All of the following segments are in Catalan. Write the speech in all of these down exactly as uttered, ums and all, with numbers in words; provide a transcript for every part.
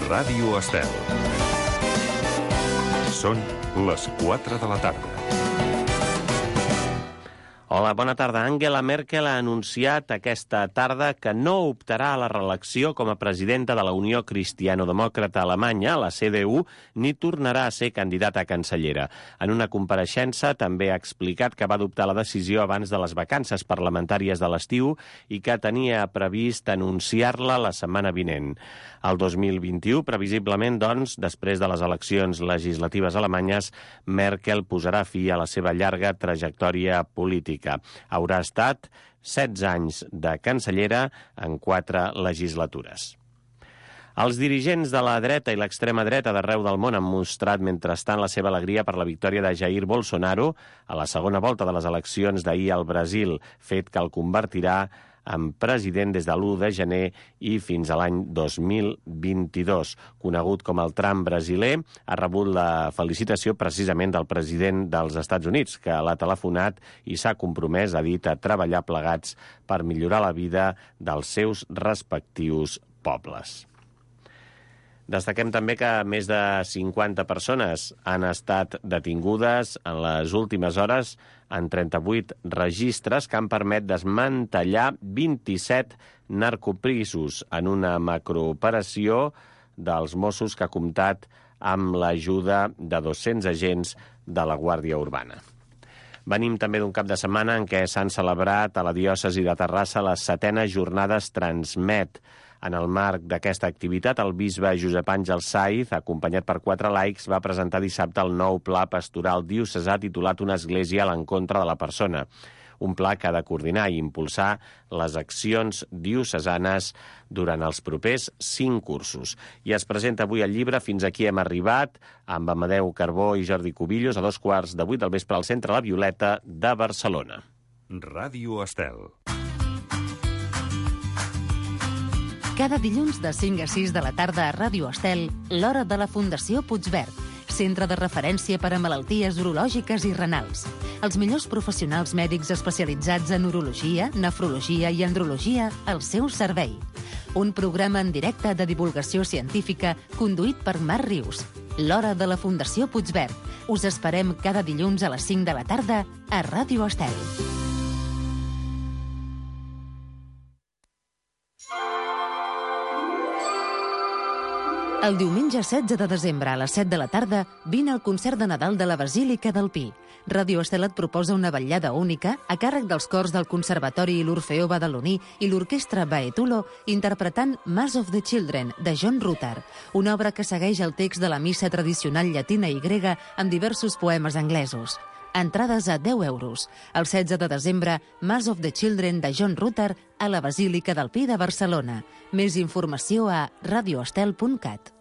Ràdio Estel. Són les quatre de la tarda. Hola, bona tarda. Angela Merkel ha anunciat aquesta tarda que no optarà a la reelecció com a presidenta de la Unió Cristiano-Demòcrata Alemanya, la C D U, ni tornarà a ser candidata a cancellera. En una compareixença també ha explicat que va adoptar la decisió abans de les vacances parlamentàries de l'estiu i que tenia previst anunciar-la la setmana vinent. El dos mil vint-i-u, previsiblement, doncs, després de les eleccions legislatives alemanyes, Merkel posarà fi a la seva llarga trajectòria política. Haurà estat setze anys de cancellera en quatre legislatures. Els dirigents de la dreta i l'extrema dreta d'arreu del món han mostrat mentrestant la seva alegria per la victòria de Jair Bolsonaro a la segona volta de les eleccions d'ahir al Brasil, fet que el convertirà en president des de l'u de gener i fins a l'any dos mil vint-i-dos. Conegut com el Trump brasiler, ha rebut la felicitació precisament del president dels Estats Units, que l'ha telefonat i s'ha compromès, ha dit, a treballar plegats per millorar la vida dels seus respectius pobles. Destaquem també que més de cinquanta persones han estat detingudes en les últimes hores en trenta-vuit registres que han permès desmantellar vint-i-set narcoprisos en una macrooperació dels Mossos que ha comptat amb l'ajuda de dos-cents agents de la Guàrdia Urbana. Venim també d'un cap de setmana en què s'han celebrat a la diòcesi de Terrassa les setenes jornades Transmet. En el marc d'aquesta activitat, el bisbe Josep Àngel Saiz, acompanyat per quatre laics, va presentar dissabte el nou pla pastoral diocesà titulat Una església a l'encontre de la persona. Un pla que ha de coordinar i impulsar les accions diocesanes durant els propers cinc cursos. I es presenta avui el llibre Fins aquí hem arribat, amb Amadeu Carbó i Jordi Cubillos, a dos quarts de vuit del vespre al Centre La Violeta de Barcelona. Ràdio Estel. Cada dilluns de cinc a sis de la tarda a Ràdio Estel, l'hora de la Fundació Puigverd, centre de referència per a malalties urològiques i renals. Els millors professionals mèdics especialitzats en urologia, nefrologia i andrologia al seu servei. Un programa en directe de divulgació científica conduït per Marc Rius. L'hora de la Fundació Puigverd. Us esperem cada dilluns a les cinc de la tarda a Ràdio Estel. El diumenge setze de desembre a les set de la tarda vine al concert de Nadal de la Basílica del Pi. Ràdio Estel et proposa una vetllada única a càrrec dels cors del Conservatori i l'Orfeó Badaloní i l'Orquestra Baetulo interpretant Mass of the Children, de John Rutter, una obra que segueix el text de la missa tradicional llatina i grega amb diversos poemes anglesos. Entrades a deu euros. El setze de desembre, Mass of the Children de John Rutter a la Basílica del Pi de Barcelona. Més informació a radioestel punt cat.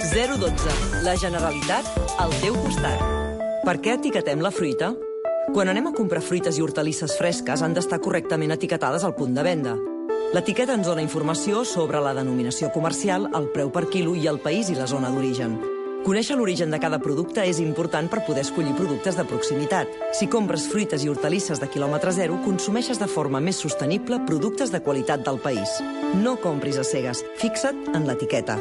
zero dotze. La Generalitat al teu costat. Per què etiquetem la fruita? Quan anem a comprar fruites i hortalisses fresques han d'estar correctament etiquetades al punt de venda. L'etiqueta ens dona informació sobre la denominació comercial, el preu per quilo i el país i la zona d'origen. Conèixer l'origen de cada producte és important per poder escollir productes de proximitat. Si compres fruites i hortalisses de quilòmetre zero, consumeixes de forma més sostenible productes de qualitat del país. No compris a cegues, fixa't en l'etiqueta.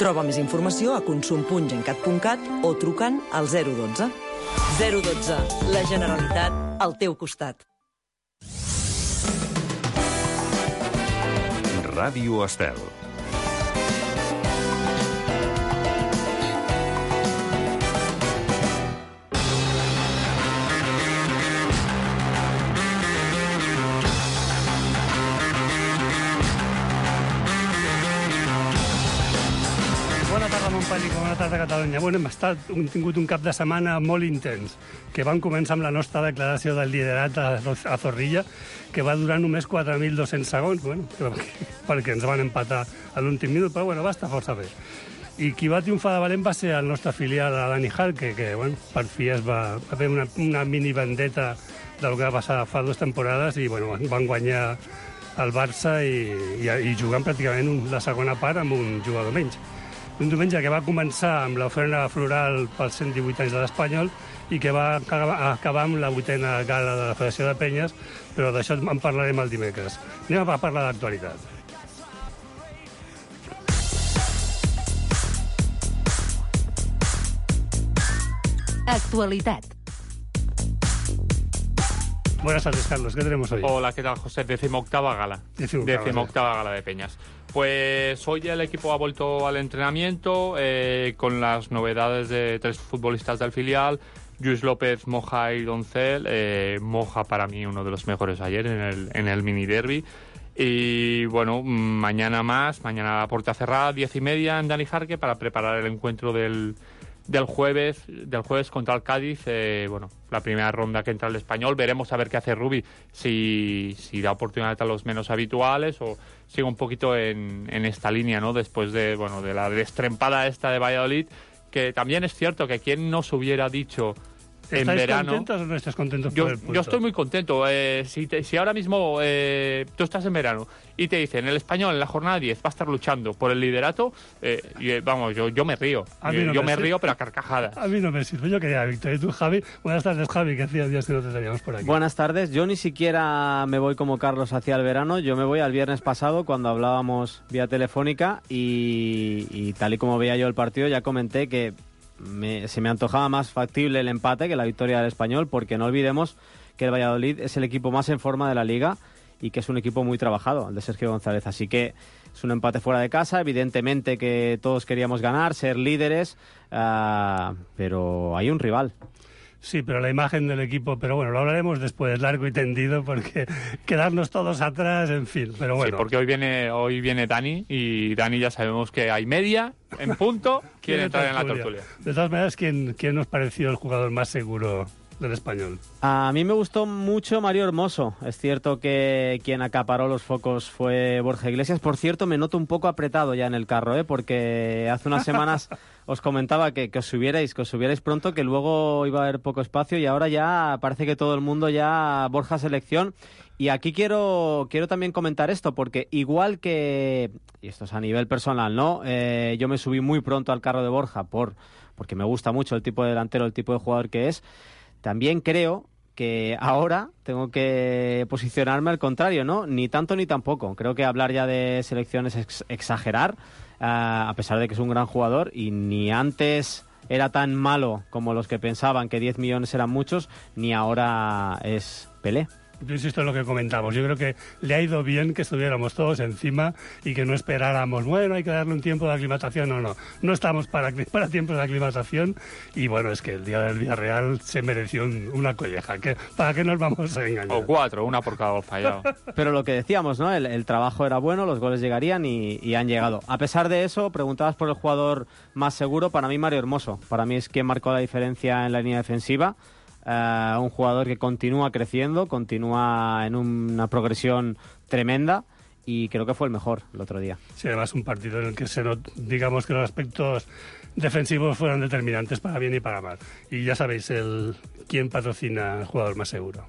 Troba més informació a consum punt gencat punt cat o trucant al zero dotze. zero dotze. La Generalitat al teu costat. Ràdio Estel. Bona tarda, Montpellier, bona tarda, Catalunya. Bueno, hem estat, hem tingut un cap de setmana molt intens, que vam començar amb la nostra declaració del liderat a, a Zorrilla, que va durar només quatre mil dos-cents segons, bueno, perquè ens van empatar a l'últim minut, però bueno, va estar força bé. I qui va triomfar de valent va ser el nostre filial, Dani Hall, que, que bueno, per fi es va, va fer una, una mini vendetta del que va passar fa dues temporades i bueno, van guanyar el Barça i, i, i jugant pràcticament la segona part amb un jugador menys. Un diumenge que va començar amb l'ofrena floral pels cent divuit anys de l'Espanyol i que va acabar amb la vuitena gala de la Federació de Penyes, però d'això en parlarem el dimecres. Anem a parlar d'actualitat. Actualidad. Buenas tardes, Carlos. ¿Qué tenemos hoy? Hola, ¿qué tal, José? Decimoctava gala. Decimoctava, Decimoctava gala de Peñas. Pues hoy el equipo ha vuelto al entrenamiento eh, con las novedades de tres futbolistas del filial, Lluís López, Moja y Doncel. Eh, Moja para mí uno de los mejores ayer en el, en el mini derby. Y bueno, mañana más, mañana a puerta cerrada, diez y media en Dani Jarque para preparar el encuentro del, del jueves del jueves contra el Cádiz. Eh, bueno, la primera ronda que entra el Español. Veremos a ver qué hace Rubi, si, si da oportunidad a los menos habituales o sigue un poquito en, en esta línea, ¿no? Después de, bueno, de la destrempada esta de Valladolid, que también es cierto que quien nos hubiera dicho en ¿Estáis verano... contentos o no estáis contentos Yo, por el punto? yo estoy muy contento. Eh, si, te, si ahora mismo eh, tú estás en verano y te dicen el Español en la jornada diez va a estar luchando por el liderato, eh, y, vamos, yo, yo me río. A mí Yo, no yo me me sirve. río, pero a carcajadas. A mí no me sirve. Yo quería victoria. ¿Y tú, Javi? Buenas tardes, Javi, que hacía días que no te teníamos por aquí. Buenas tardes. Yo ni siquiera me voy como Carlos hacia el verano. Yo me voy al viernes pasado cuando hablábamos vía telefónica y, y tal y como veía yo el partido ya comenté que me, se me antojaba más factible el empate que la victoria del Español, porque no olvidemos que el Valladolid es el equipo más en forma de la Liga y que es un equipo muy trabajado, el de Sergio González. Así que es un empate fuera de casa. Evidentemente que todos queríamos ganar, ser líderes, uh, pero hay un rival. Sí, pero la imagen del equipo, pero bueno, lo hablaremos después, largo y tendido, porque quedarnos todos atrás, en fin, pero bueno. Sí, porque hoy viene hoy viene Dani y Dani ya sabemos que hay media, en punto, quiere entrar en la tertulia. De todas maneras, ¿quién, quién nos pareció el jugador más seguro del Español? A mí me gustó mucho Mario Hermoso. Es cierto que quien acaparó los focos fue Borja Iglesias. Por cierto, me noto un poco apretado ya en el carro, ¿eh? Porque hace unas semanas os comentaba que, que os subierais, que os subierais pronto, que luego iba a haber poco espacio y ahora ya parece que todo el mundo ya Borja selección. Y aquí quiero, quiero también comentar esto, porque igual que, y esto es a nivel personal, ¿no? Eh, yo me subí muy pronto al carro de Borja por, porque me gusta mucho el tipo de delantero, el tipo de jugador que es. También creo que ahora tengo que posicionarme al contrario, ¿no? Ni tanto ni tampoco. Creo que hablar ya de selección es ex- exagerar, uh, a pesar de que es un gran jugador, y ni antes era tan malo como los que pensaban que diez millones eran muchos, ni ahora es Pelé. Yo insisto en lo que comentamos. Yo creo que le ha ido bien que estuviéramos todos encima y que no esperáramos, bueno, hay que darle un tiempo de aclimatación. No, no. No estamos para, para tiempos de aclimatación. Y bueno, es que el día del Villarreal se mereció un, una colleja. ¿Qué, ¿Para qué nos vamos a engañar? O cuatro, una por cada gol fallado. Pero lo que decíamos, ¿no? El, el trabajo era bueno, los goles llegarían y, y han llegado. A pesar de eso, preguntabas por el jugador más seguro. Para mí, Mario Hermoso. Para mí es quien marcó la diferencia en la línea defensiva. Uh, un jugador que continúa creciendo, continúa en una progresión tremenda y creo que fue el mejor el otro día. Sí, además un partido en el que se not, digamos que los aspectos defensivos fueron determinantes para bien y para mal. Y ya sabéis el quién patrocina el jugador más seguro.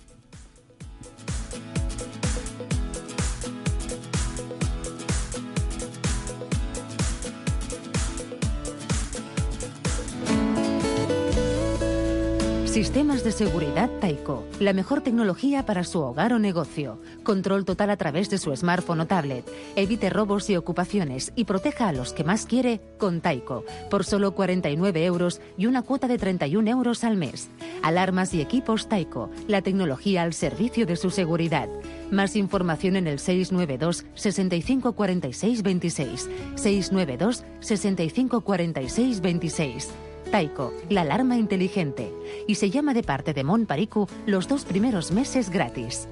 Sistemas de seguridad Taiko. La mejor tecnología para su hogar o negocio. Control total a través de su smartphone o tablet. Evite robos y ocupaciones y proteja a los que más quiere con Taiko. Por solo cuarenta y nueve euros y una cuota de treinta y un euros al mes. Alarmas y equipos Taiko. La tecnología al servicio de su seguridad. Más información en el seis nueve dos, sesenta y cinco cuarenta y seis veintiséis. seis nueve dos, sesenta y cinco cuarenta y seis veintiséis. Taiko, la alarma inteligente. Y se llama de parte de Mon Pariku los dos primeros meses gratis.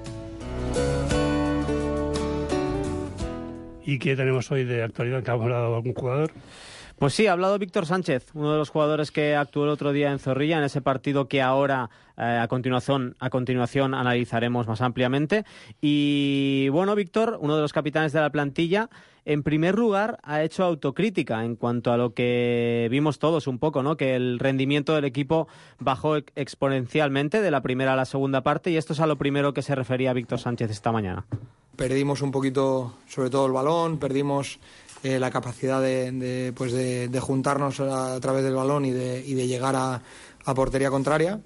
¿Y qué tenemos hoy de actualidad? ¿Que ha hablado algún jugador? Pues sí, ha hablado Víctor Sánchez, uno de los jugadores que actuó el otro día en Zorrilla, en ese partido que ahora eh, a continuación a continuación analizaremos más ampliamente. Y bueno, Víctor, uno de los capitanes de la plantilla, en primer lugar ha hecho autocrítica en cuanto a lo que vimos todos un poco, ¿no? Que el rendimiento del equipo bajó exponencialmente de la primera a la segunda parte, y esto es a lo primero que se refería Víctor Sánchez esta mañana. Perdimos un poquito, sobre todo el balón, perdimos eh, la capacidad de, de, pues de, de juntarnos a, a través del balón y de, y de llegar a, a portería contraria.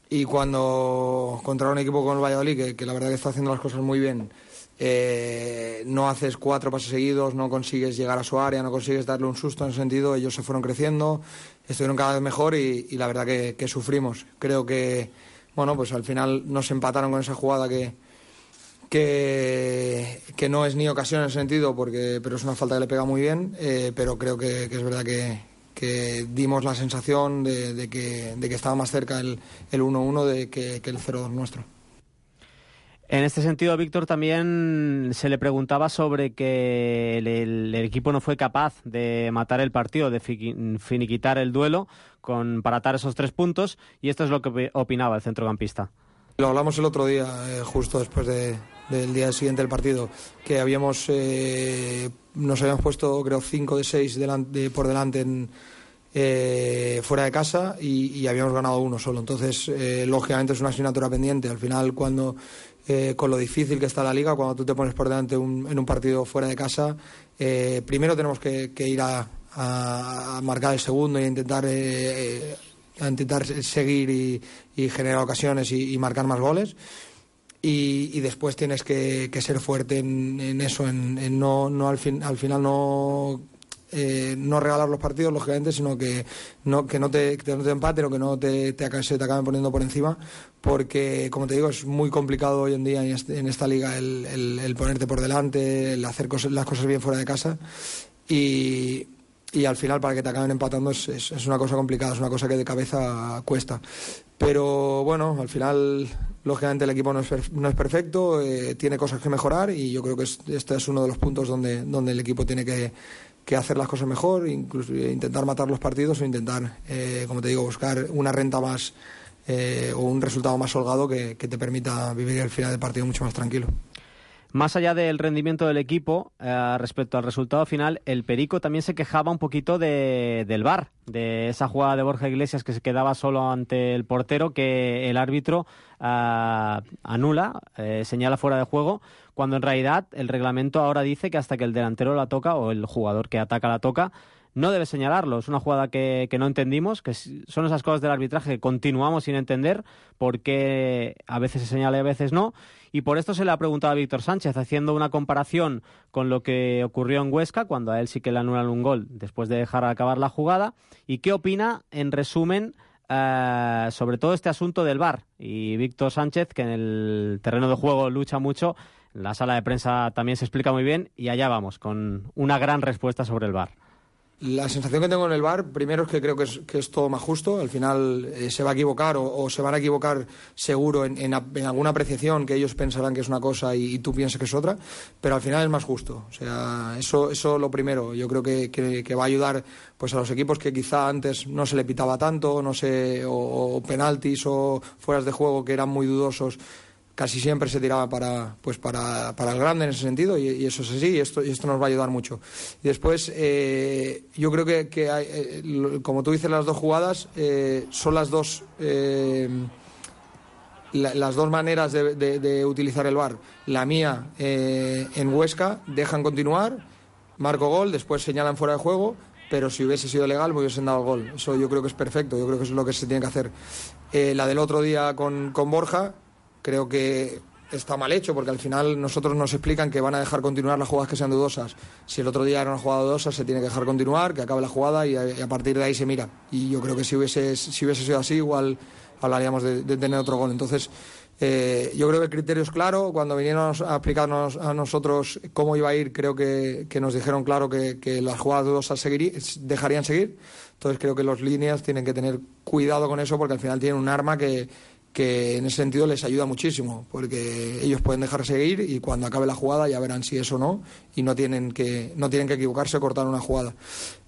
Y cuando contra un equipo como el Valladolid, que, que la verdad que está haciendo las cosas muy bien, eh, no haces cuatro pases seguidos, no consigues llegar a su área, no consigues darle un susto en ese sentido. Ellos se fueron creciendo, estuvieron cada vez mejor y, y la verdad que, que sufrimos. Creo que, bueno, pues al final nos empataron con esa jugada que, que, que no es ni ocasión en ese sentido, porque, pero es una falta que le pega muy bien, eh, pero creo que, que es verdad que que dimos la sensación de, de, que, de que estaba más cerca el, el uno uno de que, que el cero dos nuestro. En este sentido, Víctor, también se le preguntaba sobre que el, el, el equipo no fue capaz de matar el partido, de fi, finiquitar el duelo con, para atar esos tres puntos, y esto es lo que opinaba el centrocampista. Lo hablamos el otro día, eh, justo después de, del día siguiente del partido, que habíamos eh, nos habíamos puesto, creo, cinco de seis delante, por delante en, eh, fuera de casa y, y habíamos ganado uno solo. Entonces, eh, lógicamente es una asignatura pendiente. Al final, cuando eh, con lo difícil que está la Liga, cuando tú te pones por delante un, en un partido fuera de casa, eh, primero tenemos que, que ir a, a, a marcar el segundo e intentar... Eh, a intentar seguir y, y generar ocasiones y, y marcar más goles y, y después tienes que, que ser fuerte en, en eso, en, en no, no al, fin, al final no eh, no regalar los partidos, lógicamente, sino que no, que no te, que no te empaten o que no te, te, se te acaben poniendo por encima, porque, como te digo, es muy complicado hoy en día en, este, en esta liga el, el, el ponerte por delante, el hacer cosas, las cosas bien fuera de casa y y al final para que te acaben empatando es, es, es una cosa complicada, es una cosa que de cabeza cuesta. Pero bueno, al final, lógicamente el equipo no es, no es perfecto, eh, tiene cosas que mejorar y yo creo que es, este es uno de los puntos donde, donde el equipo tiene que, que hacer las cosas mejor, incluso intentar matar los partidos o intentar, eh, como te digo, buscar una renta más eh, o un resultado más holgado que, que te permita vivir el final del partido mucho más tranquilo. Más allá del rendimiento del equipo, eh, respecto al resultado final, el Perico también se quejaba un poquito de, del V A R, de esa jugada de Borja Iglesias que se quedaba solo ante el portero, que el árbitro eh, anula, eh, señala fuera de juego, cuando en realidad el reglamento ahora dice que hasta que el delantero la toca o el jugador que ataca la toca, no debe señalarlo. Es una jugada que, que no entendimos, que son esas cosas del arbitraje que continuamos sin entender, porque a veces se señala y a veces no. Y por esto se le ha preguntado a Víctor Sánchez, haciendo una comparación con lo que ocurrió en Huesca, cuando a él sí que le anulan un gol después de dejar acabar la jugada, y qué opina, en resumen, eh, sobre todo este asunto del V A R. Y Víctor Sánchez, que en el terreno de juego lucha mucho, en la sala de prensa también se explica muy bien, y allá vamos, con una gran respuesta sobre el V A R. La sensación que tengo en el V A R, primero es que creo que es, que es todo más justo. Al final eh, se va a equivocar o, o se van a equivocar seguro en, en, en alguna apreciación que ellos pensarán que es una cosa y, y tú piensas que es otra, pero al final es más justo. O sea, eso eso lo primero. Yo creo que, que, que va a ayudar pues a los equipos que quizá antes no se le pitaba tanto, no sé, o, o penaltis o fueras de juego que eran muy dudosos. Casi siempre se tiraba para pues para, para el grande en ese sentido y, y eso es así y esto, y esto nos va a ayudar mucho. Y después eh, yo creo que, que hay, eh, como tú dices, las dos jugadas eh, son las dos eh, la, las dos maneras de, de, de utilizar el V A R. La mía eh, en Huesca, dejan continuar, marco gol, después señalan fuera de juego, pero si hubiese sido legal me hubiesen dado el gol. Eso yo creo que es perfecto, yo creo que eso es lo que se tiene que hacer. Eh, la del otro día con, con Borja creo que está mal hecho, porque al final nosotros nos explican que van a dejar continuar las jugadas que sean dudosas. Si el otro día era una jugada dudosa, se tiene que dejar continuar, que acabe la jugada y a, y a partir de ahí se mira. Y yo creo que si hubiese, si hubiese sido así, igual hablaríamos de, de tener otro gol. Entonces, eh, yo creo que el criterio es claro. Cuando vinieron a explicarnos a nosotros cómo iba a ir, creo que, que nos dijeron claro que, que las jugadas dudosas seguiría, dejarían seguir. Entonces creo que los líneas tienen que tener cuidado con eso, porque al final tienen un arma que que en ese sentido les ayuda muchísimo, porque ellos pueden dejar seguir y cuando acabe la jugada ya verán si es o no y no tienen que no tienen que equivocarse o cortar una jugada.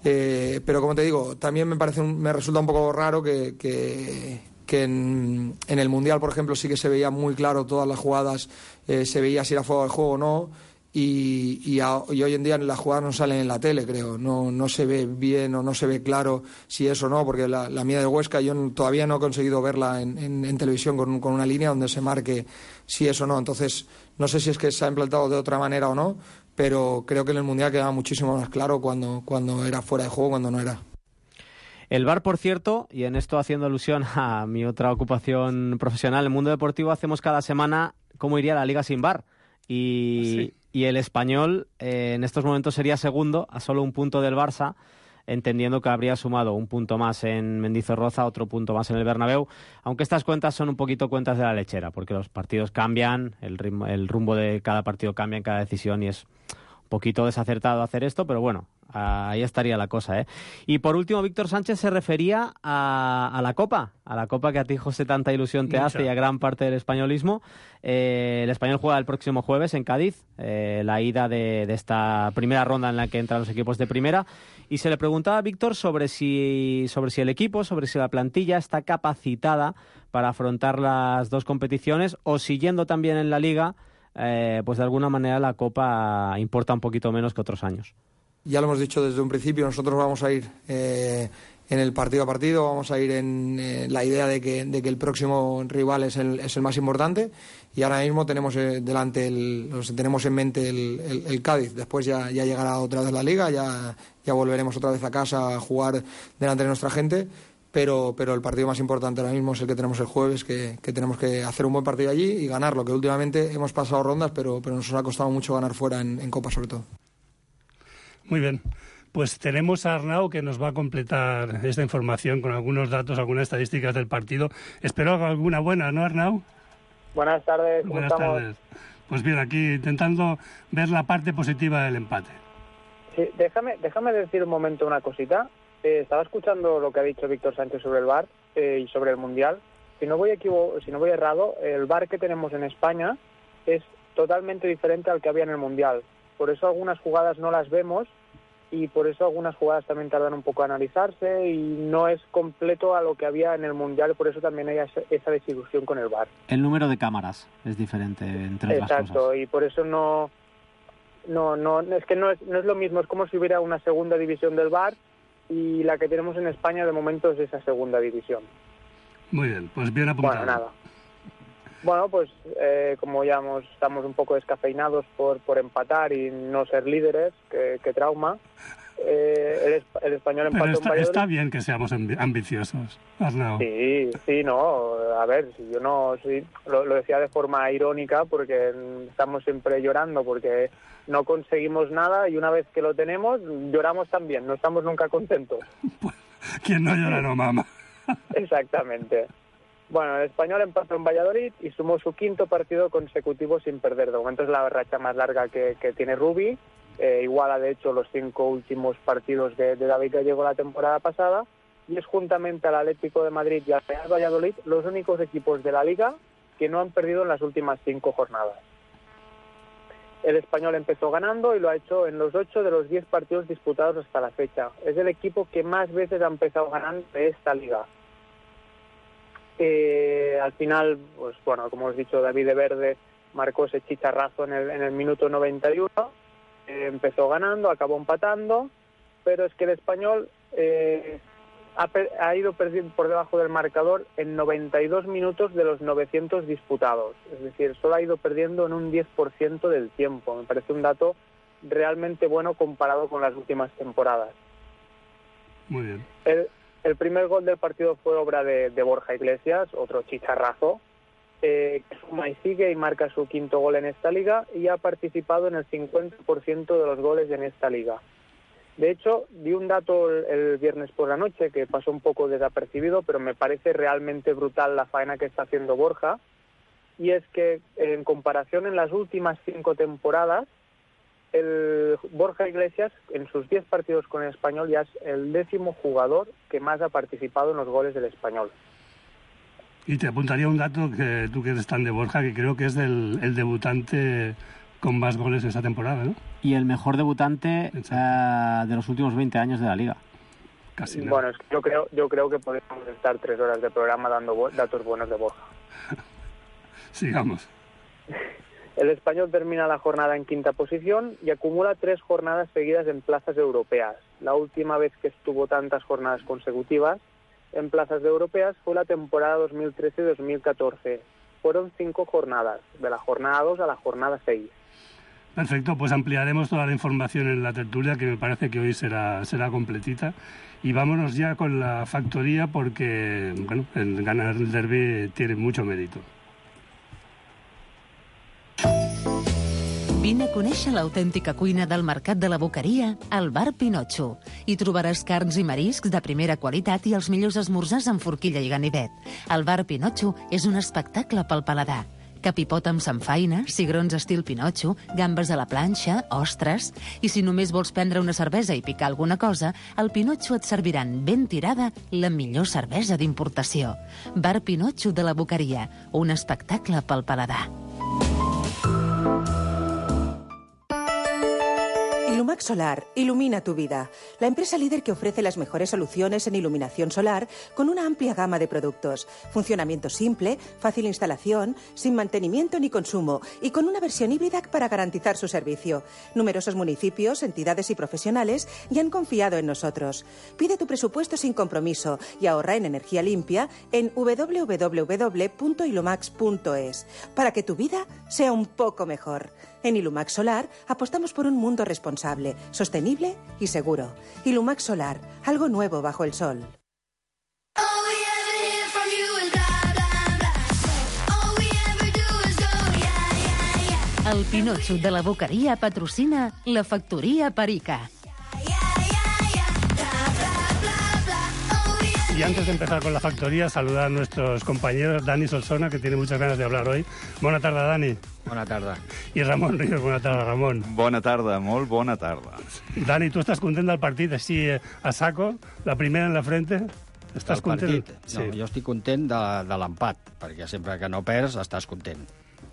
Eh, pero como te digo, también me parece un, me resulta un poco raro que, que, que en, en el Mundial, por ejemplo, sí que se veía muy claro todas las jugadas, eh, se veía si era fuera de juego o no. Y, y, a, y hoy en día las jugadas no salen en la tele, creo. No, no se ve bien o no se ve claro si es o no, porque la, la mía de Huesca yo no, todavía no he conseguido verla en, en, en televisión con, con una línea donde se marque si es o no. Entonces, no sé si es que se ha implantado de otra manera o no, pero creo que en el Mundial quedaba muchísimo más claro cuando, cuando era fuera de juego, cuando no era. El V A R, por cierto, y en esto haciendo alusión a mi otra ocupación profesional, en el mundo deportivo hacemos cada semana cómo iría la Liga sin V A R. Y, sí. y el Español eh, en estos momentos sería segundo, a solo un punto del Barça, entendiendo que habría sumado un punto más en Mendizorroza, otro punto más en el Bernabéu, aunque estas cuentas son un poquito cuentas de la lechera, porque los partidos cambian, el, ritmo, el rumbo de cada partido cambia en cada decisión y es un poquito desacertado hacer esto, pero bueno, ahí estaría la cosa, ¿eh? Y por último, Víctor Sánchez se refería a, a la Copa, a la Copa que a ti, José, tanta ilusión te Mucha. hace y a gran parte del españolismo. Eh, el Español juega el próximo jueves en Cádiz, eh, la ida de, de esta primera ronda en la que entran los equipos de primera, y se le preguntaba a Víctor sobre si, sobre si el equipo, sobre si la plantilla está capacitada para afrontar las dos competiciones, o siguiendo también en la Liga, eh, pues de alguna manera la Copa importa un poquito menos que otros años. Ya lo hemos dicho desde un principio, nosotros vamos a ir eh, en el partido a partido, vamos a ir en eh, la idea de que, de que el próximo rival es el, es el más importante, y ahora mismo tenemos eh, delante el, tenemos en mente el, el, el Cádiz. Después ya, ya llegará otra vez la Liga, ya, ya volveremos otra vez a casa a jugar delante de nuestra gente, pero, pero el partido más importante ahora mismo es el que tenemos el jueves, que, que tenemos que hacer un buen partido allí y ganarlo, que últimamente hemos pasado rondas, pero, pero nos ha costado mucho ganar fuera en, en Copa sobre todo. Muy bien, pues tenemos a Arnau que nos va a completar esta información con algunos datos, algunas estadísticas del partido. Espero alguna buena, ¿no, Arnau? Buenas tardes, ¿cómo Buenas estamos? tardes. Pues bien, aquí intentando ver la parte positiva del empate. Sí, déjame, déjame decir un momento una cosita. Eh, estaba escuchando lo que ha dicho Víctor Sánchez sobre el V A R eh, y sobre el Mundial. Si no voy equivo- si no voy errado, el V A R que tenemos en España es totalmente diferente al que había en el Mundial. Por eso algunas jugadas no las vemos y por eso algunas jugadas también tardan un poco a analizarse y no es completo a lo que había en el Mundial, por eso también hay esa desilusión con el V A R. El número de cámaras es diferente entre otras cosas. Exacto, y por eso no, no, no es que no es, no es lo mismo, es como si hubiera una segunda división del V A R y la que tenemos en España de momento es esa segunda división. Muy bien, pues bien apuntado. Bueno, nada. Bueno, pues eh, como ya hemos, estamos un poco descafeinados por, por empatar y no ser líderes, que, que trauma, eh, el, el Español empató Pero está, en Valladolid. está bien que seamos ambiciosos, Arnau. Sí, sí, no, a ver, si yo no, sí, lo, lo decía de forma irónica porque estamos siempre llorando porque no conseguimos nada y una vez que lo tenemos, lloramos también, no estamos nunca contentos. Pues, ¿quién no llora no mama? Exactamente. Bueno, el Español empató en Valladolid y sumó su quinto partido consecutivo sin perder. De momento es la racha más larga que, que tiene Rubi. Eh, iguala, de hecho, los cinco últimos partidos de, de David Gallego la temporada pasada. Y es juntamente al Atlético de Madrid y al Real Valladolid los únicos equipos de la Liga que no han perdido en las últimas cinco jornadas. El Español empezó ganando y lo ha hecho en los ocho de los diez partidos disputados hasta la fecha. Es el equipo que más veces ha empezado ganando de esta Liga. Eh, al final, pues bueno, como os he dicho, David de Verde marcó ese chicharrazo en el, en el minuto noventa y uno, eh, empezó ganando, acabó empatando, pero es que el Español eh, ha, ha ido perdiendo por debajo del marcador en noventa y dos minutos de los novecientos disputados, es decir, solo ha ido perdiendo en un diez por ciento del tiempo. Me parece un dato realmente bueno comparado con las últimas temporadas. Muy bien. El, El primer gol del partido fue obra de, de Borja Iglesias, otro chicharrazo, eh, que suma y sigue y marca su quinto gol en esta liga y ha participado en el cincuenta por ciento de los goles en esta liga. De hecho, di un dato el, el viernes por la noche que pasó un poco desapercibido, pero me parece realmente brutal la faena que está haciendo Borja, y es que en comparación en las últimas cinco temporadas, el Borja Iglesias en sus diez partidos con el Español ya es el décimo jugador que más ha participado en los goles del Español. Y te apuntaría un dato que tú que eres tan de Borja, que creo que es del, el debutante con más goles esa temporada, ¿no? Y el mejor debutante uh, de los últimos veinte años de la Liga. Casi nada. Bueno, es que yo creo, yo creo que podemos estar tres horas de programa dando bo- datos buenos de Borja. Sigamos. El Español termina la jornada en quinta posición y acumula tres jornadas seguidas en plazas europeas. La última vez que estuvo tantas jornadas consecutivas en plazas de europeas fue la temporada dos mil trece dos mil catorce. Fueron cinco jornadas, de la jornada dos a la jornada seis. Perfecto, pues ampliaremos toda la información en la tertulia, que me parece que hoy será, será completita. Y vámonos ya con la factoría, porque bueno, el ganar el derbi tiene mucho mérito. Vine a conèixer l'autèntica cuina del Mercat de la Boqueria al Bar Pinotxo. Hi trobaràs carns i mariscs de primera qualitat i els millors esmorzars amb forquilla i ganivet. El Bar Pinotxo és un espectacle pel paladar. Capipot amb samfaina, cigrons estil Pinotxo, gambes a la planxa, ostres... I si només vols prendre una cervesa i picar alguna cosa, al Pinotxo et serviran ben tirada la millor cervesa d'importació. Bar Pinotxo de la Boqueria, un espectacle pel paladar. Ilumax Solar ilumina tu vida. La empresa líder que ofrece las mejores soluciones en iluminación solar con una amplia gama de productos. Funcionamiento simple, fácil instalación, sin mantenimiento ni consumo y con una versión híbrida para garantizar su servicio. Numerosos municipios, entidades y profesionales ya han confiado en nosotros. Pide tu presupuesto sin compromiso y ahorra en energía limpia en doble u doble u doble u punto ilumax punto es para que tu vida sea un poco mejor. En Ilumax Solar apostamos por un mundo responsable, sostenible y seguro. Ilumax Solar, algo nuevo bajo el sol. El Pinotxo de la Boqueria patrocina la Factoria Perica. Y antes de empezar con la factoría, saludar a nuestros compañeros. Dani Solsona, que tiene muchas ganas de hablar hoy. Bona tarda, Dani. Bona tarda. I Ramon Ríos, bona tarda, Ramon. Bona tarda, molt bona tarda. Dani, tu estàs content del partit, així a saco, la primera en la frente? Estàs del content? Partit? No, sí. Jo estic content de, de l'empat, perquè sempre que no perds estàs content.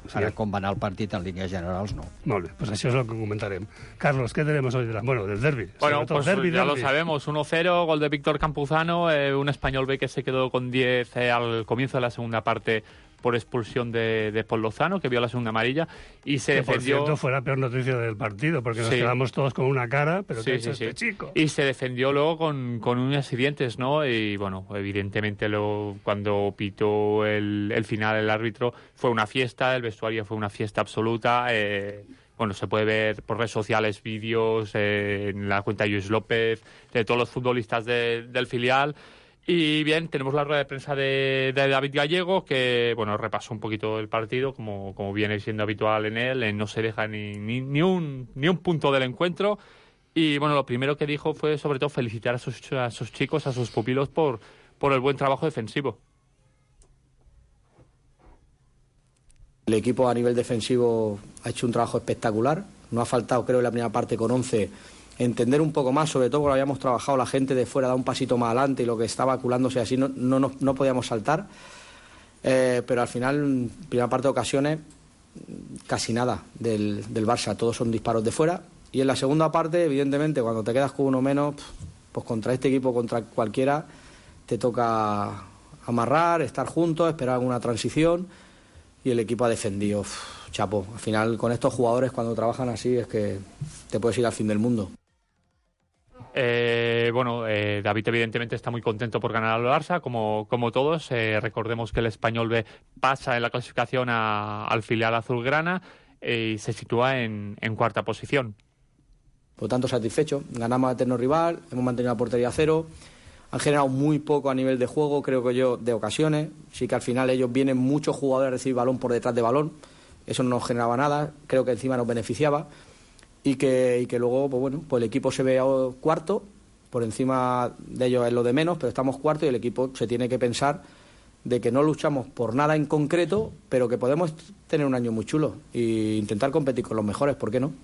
Sí. Ara, com va anar el partit en línies generals, no. Molt bé, pues això és el que comentarem. Carlos, ¿qué tenemos hoy? De la... Bueno, del derbi. Bueno, pues derbi, ya derbi. lo sabemos, uno cero, gol de Víctor Campuzano, eh, un español B que se quedó con diez eh, al comienzo de la segunda parte por expulsión de, de Paul Lozano, que vio la segunda amarilla, y se que, defendió... por cierto, fue la peor noticia del partido, porque nos sí. quedamos todos con una cara, pero sí, ¿qué sí, es sí, este sí. chico? Y se defendió luego con, con uñas y dientes, ¿no? Y, bueno, evidentemente lo, cuando pitó el, el final el árbitro, fue una fiesta, el vestuario fue una fiesta absoluta. Eh, bueno, se puede ver por redes sociales vídeos eh, en la cuenta de Lluís López, de todos los futbolistas de, del filial. Y bien, tenemos la rueda de prensa de, de David Gallego, que bueno repasó un poquito el partido, como, como viene siendo habitual en él, en no se deja ni, ni, ni, un, ni un punto del encuentro. Y bueno, lo primero que dijo fue sobre todo felicitar a sus, a sus chicos, a sus pupilos, por, por el buen trabajo defensivo. El equipo a nivel defensivo ha hecho un trabajo espectacular. No ha faltado, creo, en la primera parte con once... entender un poco más, sobre todo porque lo habíamos trabajado, la gente de fuera da un pasito más adelante y lo que estaba aculándose así no, no, no, no podíamos saltar, eh, pero al final, en primera parte de ocasiones, casi nada del, del Barça, todos son disparos de fuera, y en la segunda parte, evidentemente, cuando te quedas con uno menos, pues contra este equipo, contra cualquiera, te toca amarrar, estar juntos, esperar alguna transición, y el equipo ha defendido, uf, chapo, al final con estos jugadores cuando trabajan así es que te puedes ir al fin del mundo. Eh, bueno, eh, David evidentemente está muy contento por ganar al Barça, como, como todos. Eh, recordemos que el Español B pasa en la clasificación a, al filial azulgrana eh, y se sitúa en, en cuarta posición. Por lo tanto, satisfecho. Ganamos a eterno rival, hemos mantenido la portería a cero, han generado muy poco a nivel de juego, creo que yo, de ocasiones. Sí que al final ellos vienen muchos jugadores a recibir balón por detrás de balón, eso no nos generaba nada, creo que encima nos beneficiaba. Y que, y que luego, pues bueno, pues el equipo se ve cuarto, por encima de ellos es lo de menos, pero estamos cuarto y el equipo se tiene que pensar de que no luchamos por nada en concreto, pero que podemos tener un año muy chulo e intentar competir con los mejores, ¿por qué no?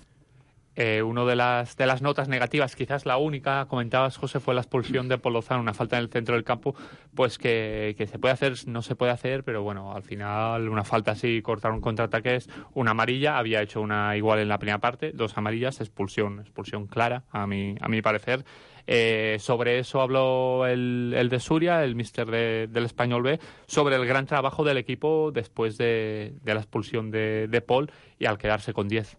Eh, una de las, de las notas negativas, quizás la única, comentabas, José, fue la expulsión de Paul Lozano, una falta en el centro del campo, pues que, que se puede hacer, no se puede hacer, pero bueno, al final una falta así, cortar un contraataque es una amarilla, había hecho una igual en la primera parte, dos amarillas, expulsión, expulsión clara, a mi, a mi parecer. Eh, sobre eso habló el, el de Suria, el míster de, del Español B, sobre el gran trabajo del equipo después de, de la expulsión de, de Paul y al quedarse con diez.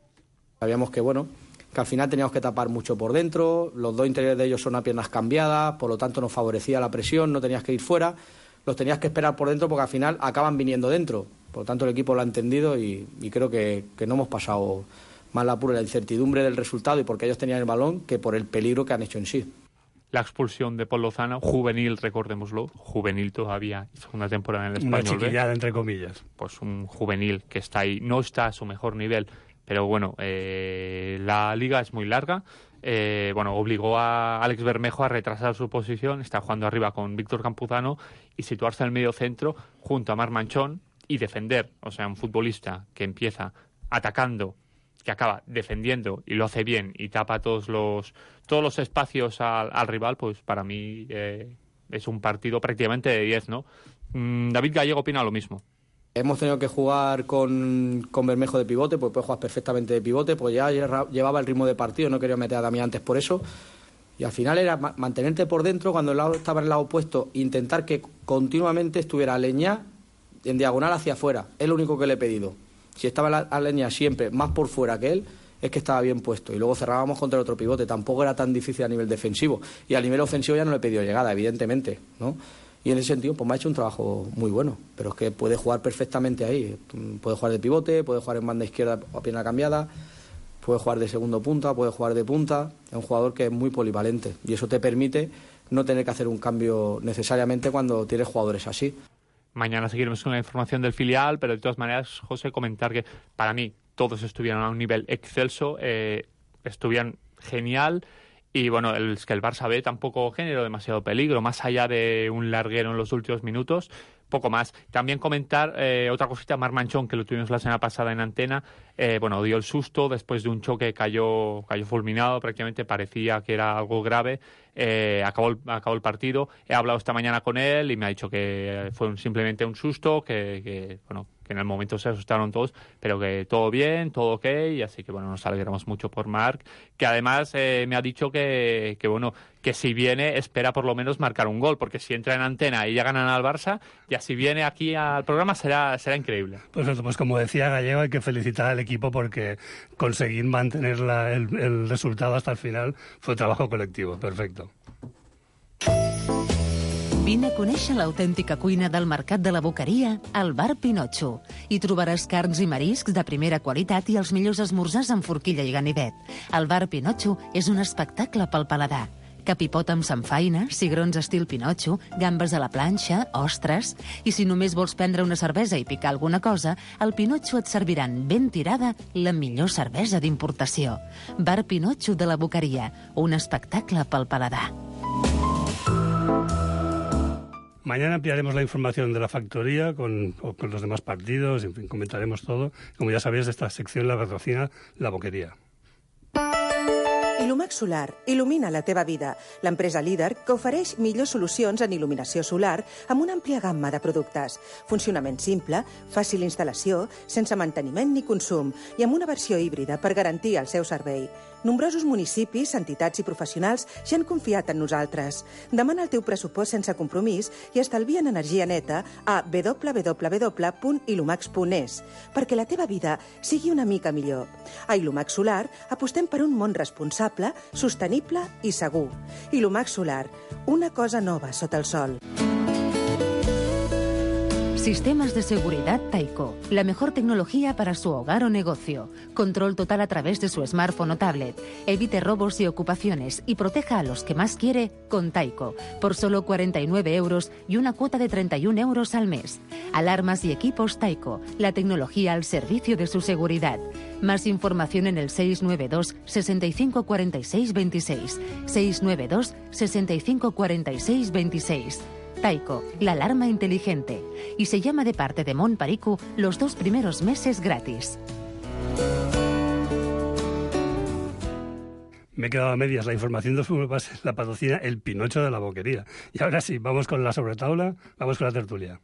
Sabíamos que, bueno, que al final teníamos que tapar mucho por dentro, los dos interiores de ellos son a piernas cambiadas, por lo tanto nos favorecía la presión, no tenías que ir fuera, los tenías que esperar por dentro porque al final acaban viniendo dentro. Por lo tanto el equipo lo ha entendido y, y creo que, que no hemos pasado más la pura la incertidumbre del resultado y porque ellos tenían el balón que por el peligro que han hecho en sí. La expulsión de Pol Lozano, juvenil, recordémoslo, juvenil todavía, segunda temporada en el Una Español. chiquillada, ¿ve? entre comillas. Pues un juvenil que está ahí, no está a su mejor nivel, pero bueno, eh, la liga es muy larga. Eh, bueno, obligó a Alex Bermejo a retrasar su posición, está jugando arriba con Víctor Campuzano y situarse en el medio centro junto a Marc Manchón y defender. O sea, un futbolista que empieza atacando, que acaba defendiendo y lo hace bien y tapa todos los todos los espacios al, al rival, pues para mí eh, es un partido prácticamente de diez, ¿no? Mm, David Gallego opina lo mismo. Hemos tenido que jugar con, con Bermejo de pivote, pues puede jugar perfectamente de pivote, pues ya llevaba el ritmo de partido, no quería meter a Damián antes por eso. Y al final era mantenerte por dentro cuando el lado estaba en el lado opuesto, intentar que continuamente estuviera Aleñá en diagonal hacia afuera. Es lo único que le he pedido. Si estaba Aleñá siempre más por fuera que él, es que estaba bien puesto. Y luego cerrábamos contra el otro pivote. Tampoco era tan difícil a nivel defensivo. Y a nivel ofensivo ya no le he pedido llegada, evidentemente, ¿no? Y en ese sentido, pues me ha hecho un trabajo muy bueno. Pero es que puede jugar perfectamente ahí. Puede jugar de pivote, puede jugar en banda izquierda a pierna cambiada, puede jugar de segundo punta, puede jugar de punta. Es un jugador que es muy polivalente. Y eso te permite no tener que hacer un cambio necesariamente cuando tienes jugadores así. Mañana seguiremos con la información del filial, pero de todas maneras, José, comentar que para mí todos estuvieron a un nivel excelso, eh, estuvieron genial. Y bueno, el, es que el Barça B tampoco generó demasiado peligro, más allá de un larguero en los últimos minutos, poco más. También comentar eh, otra cosita, Marc Manchón, que lo tuvimos la semana pasada en antena, eh, bueno, dio el susto después de un choque, cayó, cayó fulminado, prácticamente parecía que era algo grave, eh, acabó, el, acabó el partido. He hablado esta mañana con él y me ha dicho que fue un, simplemente un susto, que, que bueno, que en el momento se asustaron todos, pero que todo bien, todo ok, y así que bueno, nos alegramos mucho por Marc, que además eh, me ha dicho que, que bueno, que si viene espera por lo menos marcar un gol, porque si entra en antena y ya ganan al Barça, ya si viene aquí al programa será, será increíble. Pues, pues como decía Gallego, hay que felicitar al equipo porque conseguir mantener la, el, el resultado hasta el final fue trabajo colectivo, perfecto. Vine a conèixer l'autèntica cuina del Mercat de la Boqueria al Bar Pinotxo. Hi trobaràs carns i mariscs de primera qualitat i els millors esmorzars amb forquilla i ganivet. El Bar Pinotxo és un espectacle pel paladar. Capipot amb samfaina, cigrons estil Pinotxo, gambes a la planxa, ostres... I si només vols prendre una cervesa i picar alguna cosa, al Pinotxo et serviran ben tirada la millor cervesa d'importació. Bar Pinotxo de la Boqueria, un espectacle pel paladar. Mañana ampliaremos la información de la factoría con, con los demás partidos, en fin, comentaremos todo. Como ya sabéis, esta sección la patrocina La Boqueria. Ilumax Solar il·lumina la teva vida. L'empresa líder que ofereix millors solucions en il·luminació solar amb una àmplia gamma de productes. Funcionament simple, fàcil instal·lació, sense manteniment ni consum i amb una versió híbrida per garantir el seu servei. Nombrosos municipis, entitats i professionals ja han confiat en nosaltres. Demana el teu pressupost sense compromís i estalvia en energia neta a w w w punt ilumax punt es perquè la teva vida sigui una mica millor. A Ilumax Solar apostem per un món responsable, sostenible i segur. Ilumax Solar, una cosa nova sota el sol. Sistemas de seguridad Taiko. La mejor tecnología para su hogar o negocio. Control total a través de su smartphone o tablet. Evite robos y ocupaciones y proteja a los que más quiere con Taiko. Por solo cuarenta y nueve euros y una cuota de treinta y un euros al mes. Alarmas y equipos Taiko. La tecnología al servicio de su seguridad. Más información en el seis nueve dos, sesenta y cinco, cuarenta y seis, veintiséis. seis nueve dos, sesenta y cinco, cuarenta y seis, veintiséis. Taiko, la alarma inteligente. Y se llama de parte de Mon Paricu los dos primeros meses gratis. Me he quedado a medias. La información de fútbol base la patrocina El Pinotxo de la Boquería. Y ahora sí, vamos con la sobretaula, vamos con la tertulia.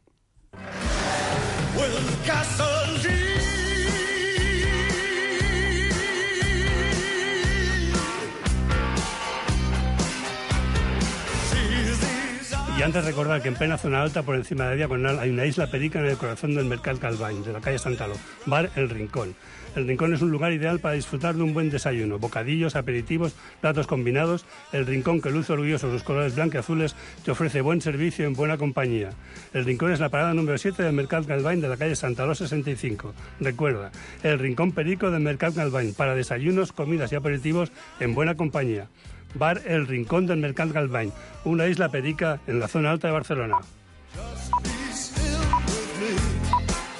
Y importante recordar que en plena zona alta, por encima de la diagonal, hay una isla perica en el corazón del Mercat Calvany, de la calle Santaló, Bar El Rincón. El Rincón es un lugar ideal para disfrutar de un buen desayuno, bocadillos, aperitivos, platos combinados. El Rincón, que luce orgulloso sus colores blancos y azules, te ofrece buen servicio en buena compañía. El Rincón es la parada número siete del Mercat Calvany de la calle Santaló sesenta y cinco. Recuerda, el Rincón Perico del Mercat Calvany, para desayunos, comidas y aperitivos en buena compañía. Bar El Rincón del Mercat Calvany, una isla perica en la zona alta de Barcelona.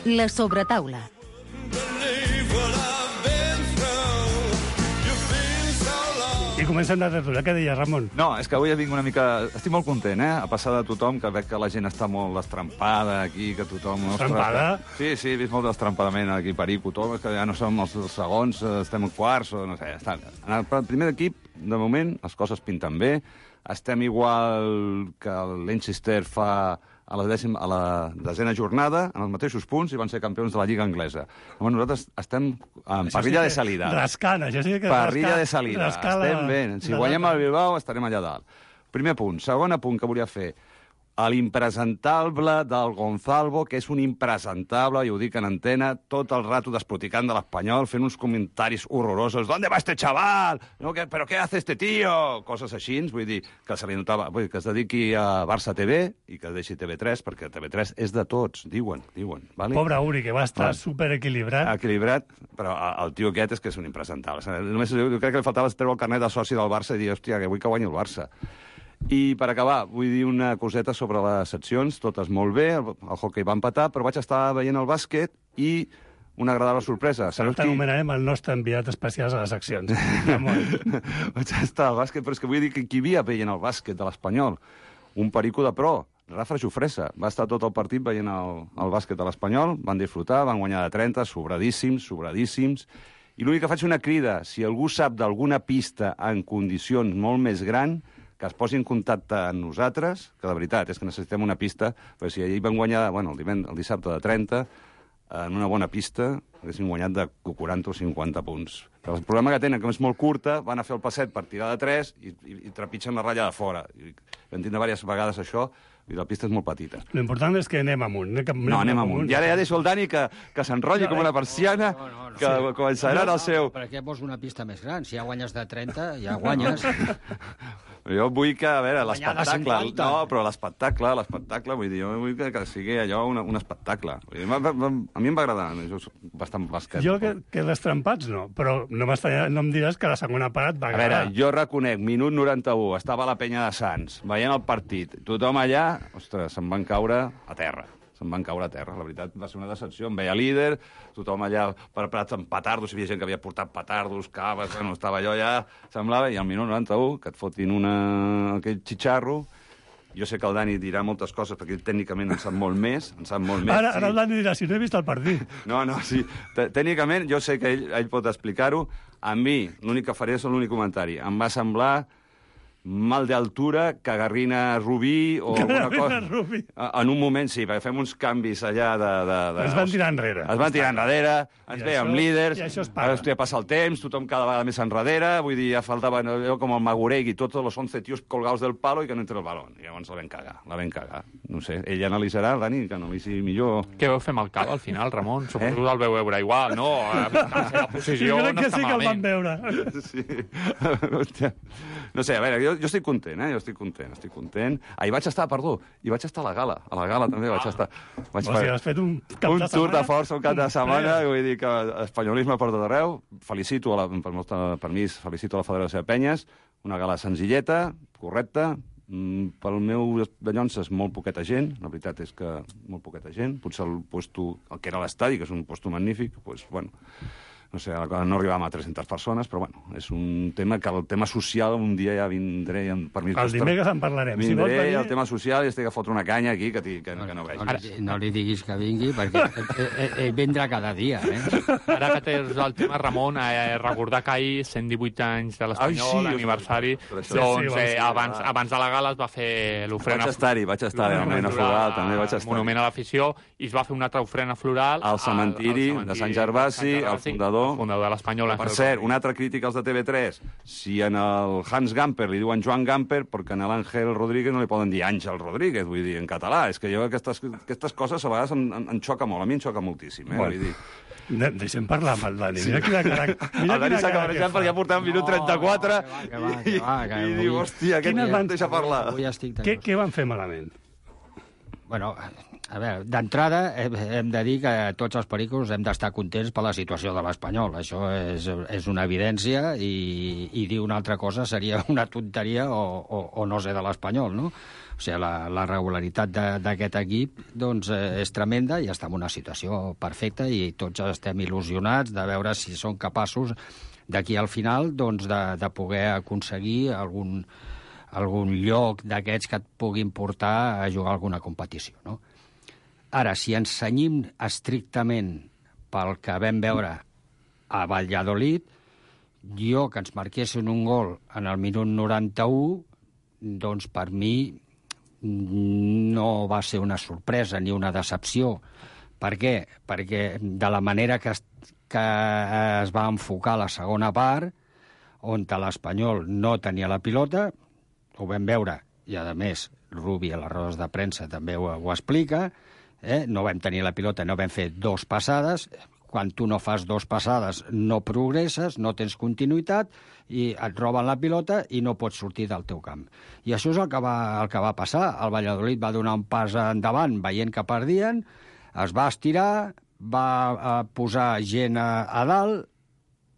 La sobretaula. I comencem la tertúlia. Què deies, Ramon? No, és que avui vinc una mica... Estic molt content, eh? A passar de tothom, que veig que la gent està molt estrampada aquí, que tothom... Estrampada? Sí, sí, he vist molt d'estrampadament aquí, perico, tothom, que ja no som els segons, estem en quarts, o no sé, està... En el primer equip, de moment, les coses pinten bé, estem igual que el Leicester fa a la, dècima, a la desena jornada, en els mateixos punts, i van ser campions de la Lliga Anglesa. Llavors nosaltres estem en parrilla de salida. Rascant, això sí que... Parrilla de salida, estem bé. Si guanyem el Bilbao, estarem allà dalt. Primer punt. Segon punt que volia fer. L'impresentable del Gonzalvo, que és un impresentable, i ho dic en antena, tot el rato desproticant de l'Espanyol, fent uns comentaris horrorosos. ¿Dónde va este chaval? No, que, ¿Pero qué hace este tío? Coses així, vull dir, que se li notava, vull dir, que es dediqui a Barça T V i que deixi T V tres, perquè T V tres és de tots, diuen, diuen. Vale? Pobre Uri, que va estar superequilibrat. Equilibrat, però el tio aquest és que és un impresentable. Només, jo crec que li faltava treure el carnet de soci del Barça i dir, hòstia, que vull que guanyi el Barça. I per acabar, vull dir una coseta sobre les seccions, totes molt bé, el, el hockey va empatar, però vaig estar veient el bàsquet i una agradable sorpresa. Però t'anomenarem el nostre enviat especial a les seccions. Vaig estar al bàsquet, però és que vull dir que qui havia veient el bàsquet de l'Espanyol, un perico de pro, Rafa Jofresa, va estar tot el partit veient el, el bàsquet de l'Espanyol, van disfrutar, van guanyar de trenta, sobradíssims, sobradíssims, i l'únic que faig una crida, si algú sap d'alguna pista en condicions molt més gran, que es posi en contacte amb nosaltres, que de veritat és que necessitem una pista, perquè si ahir van guanyar, bueno, el, divend, el dissabte de trenta, en una bona pista, haguessin guanyat de quaranta o cinquanta punts. Però el problema que tenen, que és molt curta, van a fer el passet per tirar de tres i, i, i trepitgen la ratlla de fora. I vam tindre diverses vegades això, i la pista és molt petita. L'important és que anem amunt. Anem, anem no, anem amunt. I ara ja deixo el Dani que, que s'enrotlli no, com una persiana, no, no, no, que sí. Començarà no, el seu... Per què vols una pista més gran? Si ja guanyes de trenta, ja guanyes. Jo vull que, a veure, l'espectacle... No, però l'espectacle, l'espectacle, vull dir, jo vull que, que sigui allò un, un espectacle. Dir, a mi em va agradar, jo soc bastant bàsquet. Jo que, que les trempats no, però no, no em diràs que la segona part va agradar. A veure, jo reconec, minut noranta-u, estava a la penya de Sants, veient el partit, tothom allà, ostres, se'n van caure a terra. Se'n van caure a terra. La veritat, va ser una decepció. Em veia líder, tothom allà preparats amb petardos, hi havia gent que havia portat petardos, caves, no estava allò ja, semblava, i al minut noranta-u, que et fotin una... aquell xitxarro. Jo sé que el Dani dirà moltes coses, perquè ell tècnicament en sap molt més, en sap molt més. Ara, sí. ara el Dani dirà, si no he vist el partit. No, no, sí. Tècnicament, jo sé que ell, ell pot explicar-ho. A mi, l'únic que faré és l'únic comentari. Em va semblar mal d'altura, cagarrina Rubí o alguna cosa. Rubí. En un moment sí, perquè fem uns canvis allà de... de, de... Es van tirar enrere. Es van tirar enrere, ens veiem líders, i això es paga. Ara passa el temps, tothom cada vegada més enrere, vull dir, ja faltava allò com el Maguregui, tots els once tios colgados del palo i que no entre el balón. I llavors la vam cagar, la vam cagar. No sé, ell analitzarà, el Dani, que analitzi millor... Què veu fer amb el cap al final, Ramon? Suposo que el veu veure igual, no? La posició jo crec no que està sí que el van malament. veure. Sí. Hòstia. No sé, a veure, jo, jo estic content, eh? Jo estic content, estic content. Ah, hi vaig estar, perdó, hi vaig estar a la gala. A la gala també vaig estar. Vaig o sigui, has fet un cap un de tour setmana? de força, un cap de setmana, vull dir que espanyolisme per tot arreu. Felicito, a la, per, per, per mi, felicito a la Federació de Penyes. Una gala senzilleta, correcta, mm, pel meu dallonses molt poqueta gent, la veritat és que molt poqueta gent. Potser el puesto, el que era l'estadi, que és un puesto magnífic, doncs, bueno... no sé, no arribàvem a tres-centes persones, però bueno, és un tema que el tema social un dia ja vindré... Per mi, el dimecres en parlarem. Vindré, si vols venir... el tema social, i estic a fotre una canya aquí que, que, que no veig. No, no, no li diguis que vingui, perquè ell, ell vindrà cada dia, eh? Ara que tens el tema, Ramon, eh, recordar que ahir, cent divuit anys de l'Espanyol, sí, aniversari, sí, doncs sí, eh, abans, abans de la gala es va fer l'ofrena... Vaig estar-hi, vaig estar-hi, al Monument a Fogal, també vaig estar-hi. Monument a l'afició, i es va fer una altra ofrena floral al cementiri, al, al cementiri de Sant Gervasi, el fundador... El fundador de l'Espanyol. Per cert, una altra crítica als de T V tres. Si en el Hans Gamper li diuen Joan Gamper, perquè en l'Àngel Rodríguez no li poden dir Àngel Rodríguez, vull dir, en català. És que jo aquestes, aquestes coses a vegades em, em, em xoca molt, a mi em xoca moltíssim, eh? Bueno. Vull dir... De deixem parlar amb el Dani. Mira quina cara... Mira el Dani s'ha cabrejat perquè ja portem un minut trenta-quatre i diu, hòstia, aquest no em deixa parlar. Què, què van fer malament? Bueno, a veure, d'entrada hem de dir que tots els pericos hem d'estar contents per la situació de l'Espanyol. Això és, és una evidència i, i dir una altra cosa seria una tonteria o, o, o no sé de l'Espanyol, no? O sigui, la, la regularitat d'aquest equip doncs, és tremenda i està en una situació perfecta i tots estem il·lusionats de veure si són capaços d'aquí al final doncs, de, de poder aconseguir algun, algun lloc d'aquests que et puguin portar a jugar alguna competició, no? Ara, si ens cenyim estrictament pel que vam veure a Valladolid, jo que ens marquessin un gol en el minut noranta-u, doncs per mi no va ser una sorpresa ni una decepció. Per què? Perquè de la manera que es, que es va enfocar la segona part, on l'Espanyol no tenia la pilota, ho vam veure, i a més Rubi a les rodes de premsa també ho, ho explica, eh? No vam tenir la pilota, no vam fer dos passades. Quan tu no fas dos passades no progresses, no tens continuïtat i et roben la pilota i no pots sortir del teu camp. I això és el que va, el que va passar. El Valladolid va donar un pas endavant veient que perdien, es va estirar, va posar gent a, a dalt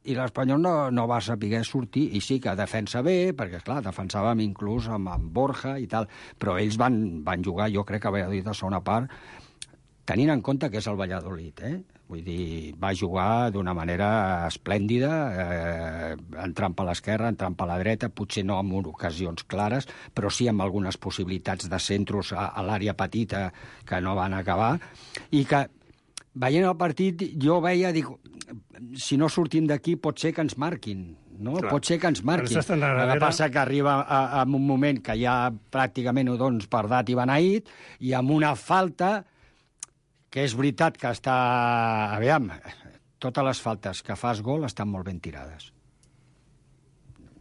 i l'Espanyol no, no va saber sortir, i sí que defensa bé, perquè, clar, defensàvem inclús amb, amb Borja i tal, però ells van, van jugar, jo crec que a Valladolid a segona part, tenint en compte que és el Valladolid, eh? Vull dir, va jugar d'una manera esplèndida, eh, entrant per l'esquerra, entrant per la dreta, potser no amb ocasions clares, però sí amb algunes possibilitats de centros a, a l'àrea petita que no van acabar, i que, veient el partit, jo veia, dic, si no sortim d'aquí pot ser que ens marquin, no? Clar. Pot ser que ens marquin. El que passa que arriba a, a un moment que ja pràcticament ho dones per dat i beneït, i amb una falta que és veritat que està... Aviam, totes les faltes que fas gol estan molt ben tirades.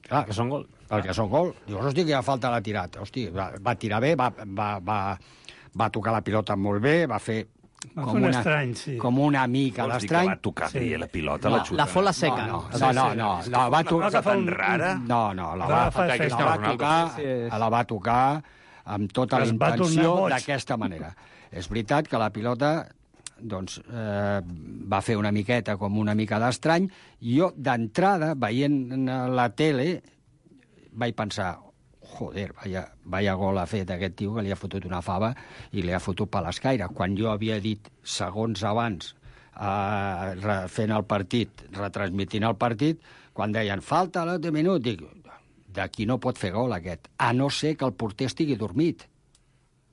Clar, que són gol. Perquè són gol. Dius, hosti, que ja falta l'ha tirat. Hosti, va, va tirar bé, va, va, va, va tocar la pilota molt bé, va fer... Com una, estrany, sí. Com una mica d'estrany. Va tocar sí. bé la pilota, no, la xuta. La fola seca. No, no, no, no, no, no va tocar... Una tan rara. No, no, la va, la va tocar, la va tocar amb tota la intenció d'aquesta manera. És veritat que la pilota doncs, eh, va fer una miqueta com una mica d'estrany. Jo, d'entrada, veient la tele, vaig pensar, joder, vaya, vaya gol ha fet aquest tio que li ha fotut una fava i li ha fotut per l'escaire. Quan jo havia dit segons abans, eh, fent el partit, retransmitint el partit, quan deien falta l'últim minut, dic, d'aquí no pot fer gol aquest, a no ser que el porter estigui dormit.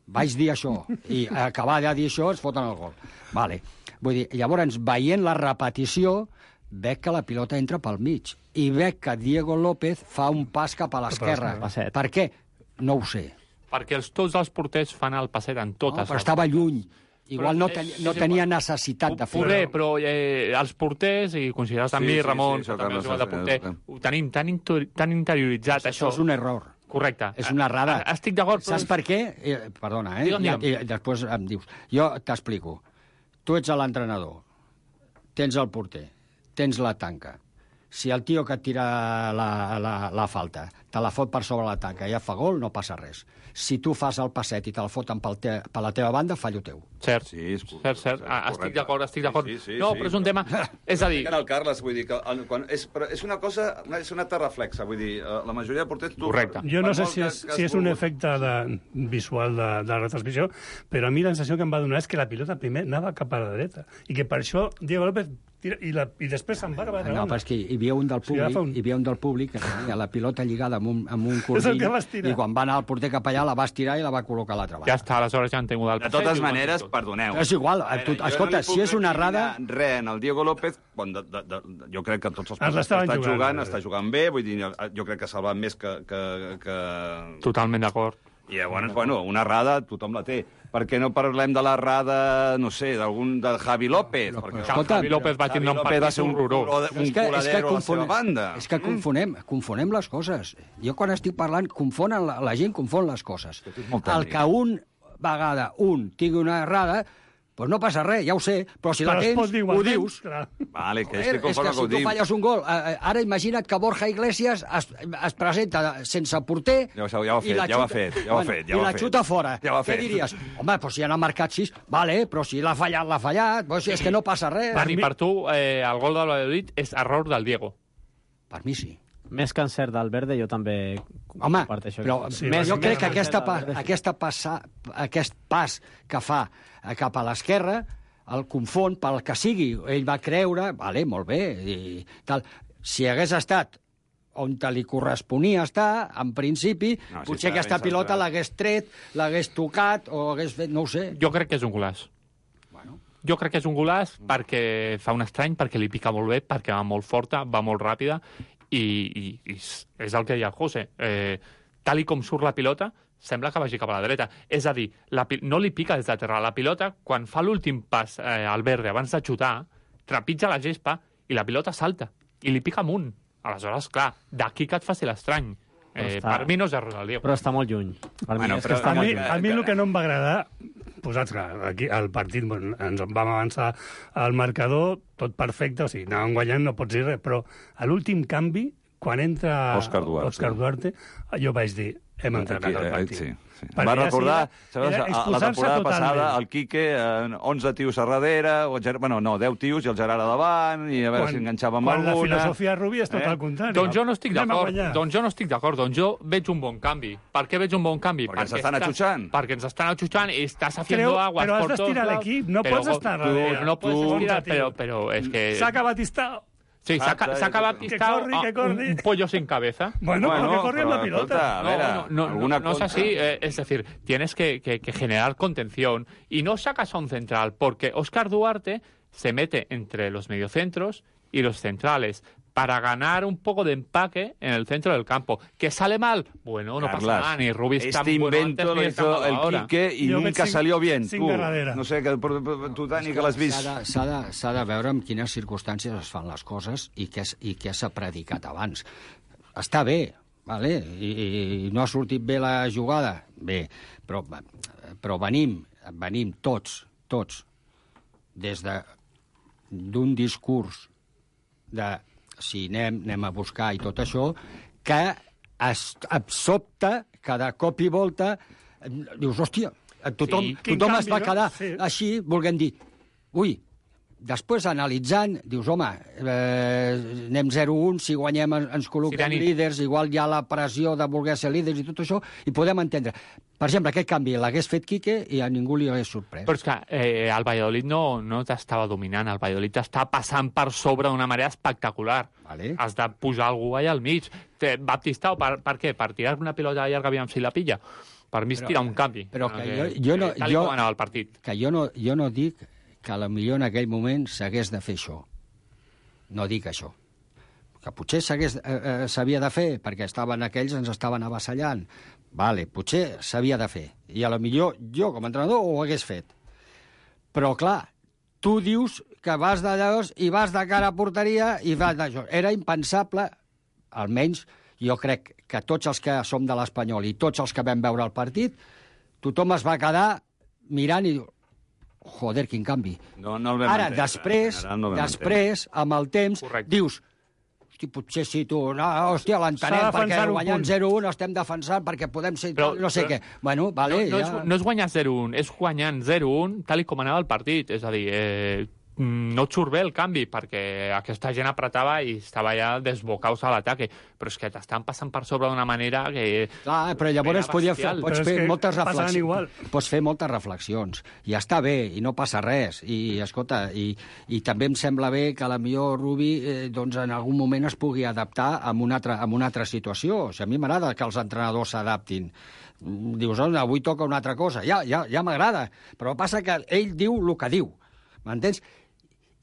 Vaig dir això, i acabar de dir això es foten el gol. Vale. Vull dir, llavors, veient la repetició, veig que la pilota entra pel mig, i veig que Diego López fa un pas cap a l'esquerra. Per què? No ho sé. Perquè els, tots els porters fan el passet en totes. No, però estava lluny. Igual no, ten, no tenia necessitat de fer-ho. Poder, però eh, els porters, i consideres també, sí, sí, Ramon, sí, sí, també el jugat de porter, ho tenim tan, inter, tan interioritzat, això. Això és un error. Correcte. És una errada. Estic d'acord. Saps per què? Eh, perdona, eh? Digue'm, digue'm. I, I després em dius. Jo t'explico. Tu ets l'entrenador, tens el porter, tens la tanca. Si el tio que et tira la, la, la falta te la fot per sobre la tanca i ja fa gol, no passa res. Si tu fas el passet i te la foten pel te, per la teva banda, fallo teu. Cert, sí, és cert, cert. Ah, estic d'acord, estic d'acord. Sí, sí, sí, no, sí, però és un tema... És a dir... El Carles, vull dir, que quan és, és una cosa, és una altra reflexa, vull dir, la majoria de porters... Tu, correcte. Jo no sé si és, si és un efecte de, visual de, de la retransmissió, però a mi la sensació que em va donar és que la pilota primer anava cap a la dreta, i que per això Diego López tira, i, la, i després se'n va cap a la no, però és que hi havia un del públic, o sigui, un... hi havia un del públic que tenia la pilota lligada amb un, amb un cordill, i quan va anar el porter cap allà la va estirar i la va col·locar a l'altra banda. Ja està, aleshores ja han tingut el passet. De totes maneres, perdoneu. És igual, tu, escolta, si és una errada... Res, en el Diego López, bon, de, de, de, jo crec que tots els partits que està jugant, jugant està jugant bé, vull dir, jo crec que ha salvat més que... que, que... Totalment d'acord. I llavors, bueno, una errada tothom la té. Per què no parlem de l'errada, no sé, d'algun de Javi López? No, perquè escolta, Javi López va tindre un partit va ser un, horrorós. un coladero a la seva banda. És que confonem, confonem les coses. Jo quan estic parlant, confonen, la, la gent confon les coses. El que un vegada un tingui una errada, doncs no passa res, ja ho sé, però si la tens, ho dius. Vale, que és que si tu falles un gol, ara imagina't que Borja Iglesias es, es presenta sense porter ja ho ha fet, ja ho ha fet, ja ho ha fet, i la xuta fora. Què diries? Home, doncs si han marcat sis, vale, però si l'ha fallat, l'ha fallat, doncs és que no passa res. Dani, per tu, eh, el gol del Valladolid és error del Diego. Per mi sí. Més que encert del Verde, jo també Home, comparteixo. però sí, més, jo crec que aquesta pa, aquesta passa, aquest pas que fa cap a l'esquerra el confon pel que sigui. Ell va creure, vale, molt bé, i tal. Si hagués estat on te li corresponia estar, en principi, no, si potser aquesta pilota l'hagués tret, l'hagués tocat o hagués fet, no ho sé. Jo crec que és un golaç. Bueno. Jo crec que és un golaç perquè fa un estrany, perquè li pica molt bé, perquè va molt forta, va molt ràpida, i, i, i és el que deia el José. Eh, tal i com surt la pilota, sembla que vagi cap a la dreta. És a dir, la, no li pica des de terra. La pilota, quan fa l'últim pas eh, al Verde abans de xutar, trepitja la gespa i la pilota salta. I li pica amunt. Aleshores, clar, d'aquí que et faci l'estrany. Eh, està... Per mi no és error del Diego. Però està molt lluny. Per bueno, mi és que està a, molt mi, lluny. a mi el que no em va agradar, posats que aquí al partit bueno, ens vam avançar al marcador, tot perfecte, o sigui, anàvem guanyant, no pots dir res, però a l'últim canvi, quan entra Òscar Duarte, Òscar Duarte jo vaig dir, hem entrat al partit. Sí, sí. Va recordar, sabes, a la temporada passada, el Quique, eh, onze tios a darrere, o, bueno, no, deu tios i el Gerard a davant, i a veure quan, si enganxava amb quan alguna. Quan la filosofia Rubi és tot eh? al contrari. Doncs jo no estic d'acord, doncs jo no estic d'acord, doncs jo veig un bon canvi. Per què veig un bon canvi? Perquè, perquè ens estan atxutxant. Perquè ens estan atxutxant i estàs haciendo aguas però por has d'estirar l'equip, no pots estar darrere. No pots estirar, però, però és que... Saca Batista... Sí, saca Batista un, un pollo sin cabeza. Bueno, bueno que corre la pilota. Escolta, a ver, no, no, no, no, no es así. Eh, es decir, tienes que, que, que generar contención y no sacas a un central, porque Óscar Duarte se mete entre los mediocentros y los centrales para ganar un poco de empaque en el centro del campo. ¿Que sale mal? Bueno, no Carlas, pasa nada, ni Rubí está este bueno invento antes, lo ni hizo el ahora. Quique y Yo nunca salió bien. Sin tu, no sé, que tu, Dani, que l'has vist. S'ha de, de, de veure en quines circumstàncies es fan les coses i què, i què s'ha predicat abans. Està bé, vale? I, i no ha sortit bé la jugada, bé, però, però venim, venim tots, tots, des de d'un discurs de si anem, anem a buscar i tot això, que es, et sobta, cada cop i volta, dius, hòstia, tothom, sí, tothom es va quedar no? sí. així, volguem dir, ui, després analitzant, dius, home, eh, anem zero un, si guanyem ens col·loquem sí, líders, igual hi ha la pressió de voler ser líders i tot això, i podem entendre. Per exemple, aquest canvi l'hagués fet Quique i a ningú li hagués sorprès. Però és que eh, el Valladolid no, no t'estava dominant, el Valladolid t'està passant per sobre d'una manera espectacular. Vale. Has de posar algú allà al mig. Baptistao, per, per què? Per tirar una pilota llarga, aviam si la pilla. Per mi és tirar un canvi. Però que que, jo, jo no... Tal jo, com anava el partit. Que jo no, jo no dic que potser en aquell moment s'hagués de fer això. No dic això. Que potser s'hagués eh, s'havia de fer, perquè estaven aquells, ens estaven avassallant. Vale, potser s'havia de fer. I a lo millor jo, com a entrenador, ho hagués fet. Però, clar, tu dius que vas d'allà i vas de cara a porteria i vas d'això. Era impensable, almenys jo crec que tots els que som de l'Espanyol i tots els que vam veure el partit, tothom es va quedar mirant i diu, joder, quin canvi. No, no el vam Ara, entendre. després, no després amb el temps, Correcte. dius, hosti, potser sí, tu, no, hòstia, l'entenem, perquè guanyant zero un estem defensant perquè podem ser, però, no sé però, què. Bueno, vale, no, no, ja... és, no és guanyar zero un, és guanyant zero un tal i com anava el partit. És a dir, eh, no et surt bé el canvi, perquè aquesta gent apretava i estava ja desbocaus a l'ataque, però és que t'estan passant per sobre d'una manera que... Clar, però llavors podia fer, pots fer moltes reflexions. Pots fer moltes reflexions. I està bé, i no passa res. I, escolta, i, i també em sembla bé que la millor Rubi eh, doncs en algun moment es pugui adaptar a una altra, a una altra situació. O sigui, a mi m'agrada que els entrenadors s'adaptin. Dius, oh, avui toca una altra cosa. Ja, ja, ja m'agrada. Però passa que ell diu el que diu. M'entens?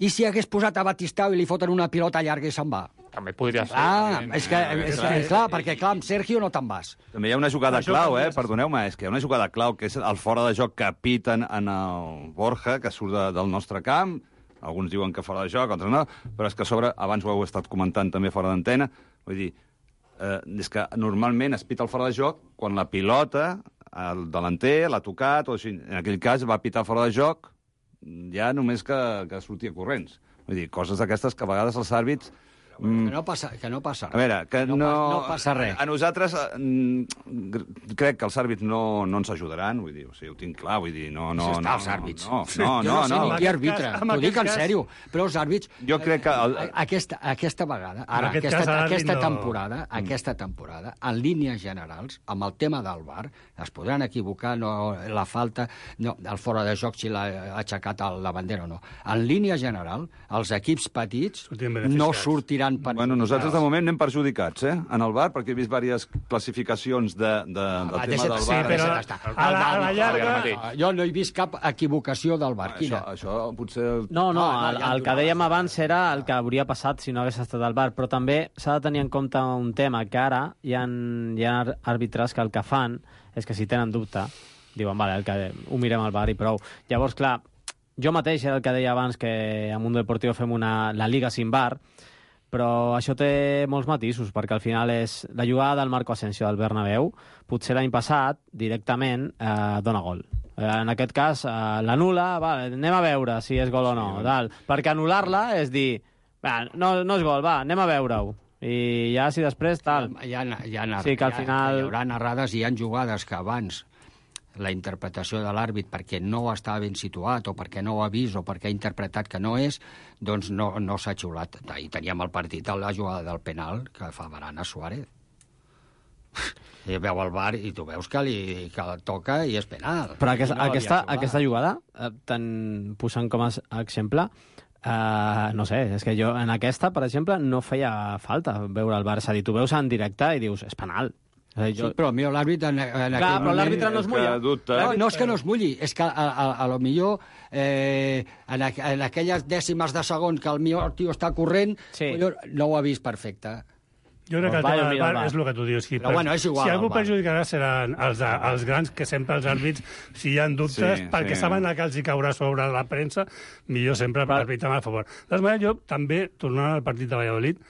I si hagués posat a Batistau i li foten una pilota llarga i se'n va? També podria ser. Ah, és que, és que, clar, perquè clar, amb Sergio no te'n vas. També hi ha una jugada clau, eh? Perdoneu-me, és que hi ha una jugada clau, que és el fora de joc que piten en el Borja, que surt de, del nostre camp. Alguns diuen que fora de joc, altres no, però és que a sobre, abans ho heu estat comentant també fora d'antena, vull dir, eh, és que normalment es pita el fora de joc quan la pilota, el delanter l'ha tocat, o així. En aquell cas va pitar fora de joc ja només que, que sortia corrents. Vull dir, coses d'aquestes que a vegades els àrbits... Mm, que no passa, que no passa res. A veure, que no... No, no passa res. A, a nosaltres mm, crec que els àrbits no, no ens ajudaran, vull dir, o sigui, ho tinc clar, vull dir, no... no, Això està, no, els àrbits. No, no, no. Jo no sé no, ni no. qui arbitra, t'ho dic en sèrio, però els àrbits... Jo crec que... El... Aquesta, aquesta vegada, ara, aquest aquesta, cas, aquesta no. temporada, mm. aquesta temporada, en línies generals, amb el tema del V A R, es podran equivocar, no, la falta, no, el fora de joc si l'ha aixecat la bandera o no. En línia general, els equips petits no sortiran per... Bueno, nosaltres de moment anem perjudicats, eh, en el V A R, perquè he vist diverses classificacions de, de, del Ah, tema del V A R. Sí, però a la, a la llarga... Jo no he vist cap equivocació del V A R. Quina? Això, això potser... No, no, Ah, el, ja el que dèiem abans era el que hauria passat si no hagués estat el V A R, però també s'ha de tenir en compte un tema, que ara hi ha, hi ha àrbitres que el que fan és que si tenen dubte, diuen, vale, el que, ho mirem al V A R i prou. Llavors, clar, jo mateix era el que deia abans, que a Mundo Deportivo fem una, la Liga sin V A R, però això té molts matisos, perquè al final és la jugada del Marco Asensio del Bernabéu, potser l'any passat, directament, eh, dona gol. Eh, en aquest cas, eh, l'anul·la, vale, anem a veure si és gol o no, sí, tal. Perquè anul·lar-la és dir, va, no, no és gol, va, anem a veure-ho. I ja, si després, tal... Hi ha, hi ha, sí, que al final... hi haurà narrades i hi ha jugades que abans la interpretació de l'àrbit perquè no està ben situat o perquè no ho ha vist o perquè ha interpretat que no és, doncs no, no s'ha xiulat. Ahir teníem el partit a la jugada del penal que fa Varane a Suárez. I veu el V A R i tu veus que li que toca i és penal. Però aquesta, no aquesta, aquesta jugada, eh, tan posant com a exemple, eh, no sé, és que jo en aquesta, per exemple, no feia falta veure el V A R. És a dir, tu veus en directe i dius, és penal. Jo... Sí, però mira, l'àrbitre en, en Clar, aquell però moment... l'àrbitre no es mulla. No, no és que no es mulli, és que a, a, a lo millor eh, en, a, en aquelles dècimes de segon que el millor tio està corrent, sí. no ho ha vist perfecte. Jo crec que el tema del V A R és el que tu dius. Si, però, bueno, és igual, si algú perjudicarà seran els, els grans, que sempre els àrbits, si hi ha dubtes, sí, perquè sí. saben que els hi caurà sobre la premsa, millor sempre per arbitrar a favor. De totes maneres, jo també, tornant al partit de Valladolid,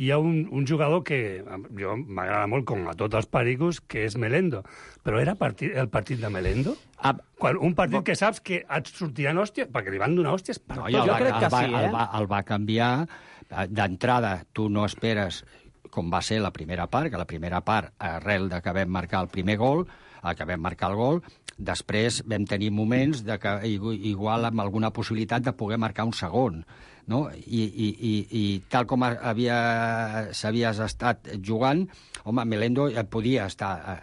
hi ha un, un jugador que jo m'agrada molt, com a tots els pericos, que és Melendo. Però era partit, el partit de Melendo? Ah, Quan, un partit que saps que et sortiran hòsties, perquè li van donar hòsties per no, tot. Jo va, crec que el va, sí, eh? El va, el va canviar. D'entrada, tu no esperes, com va ser la primera part, que la primera part, arrel de que vam marcar el primer gol, que vam marcar el gol, després vam tenir moments de que igual amb alguna possibilitat de poder marcar un segon. No? I, i, i, i tal com havia, s'havies estat jugant, home, Melendo podia estar...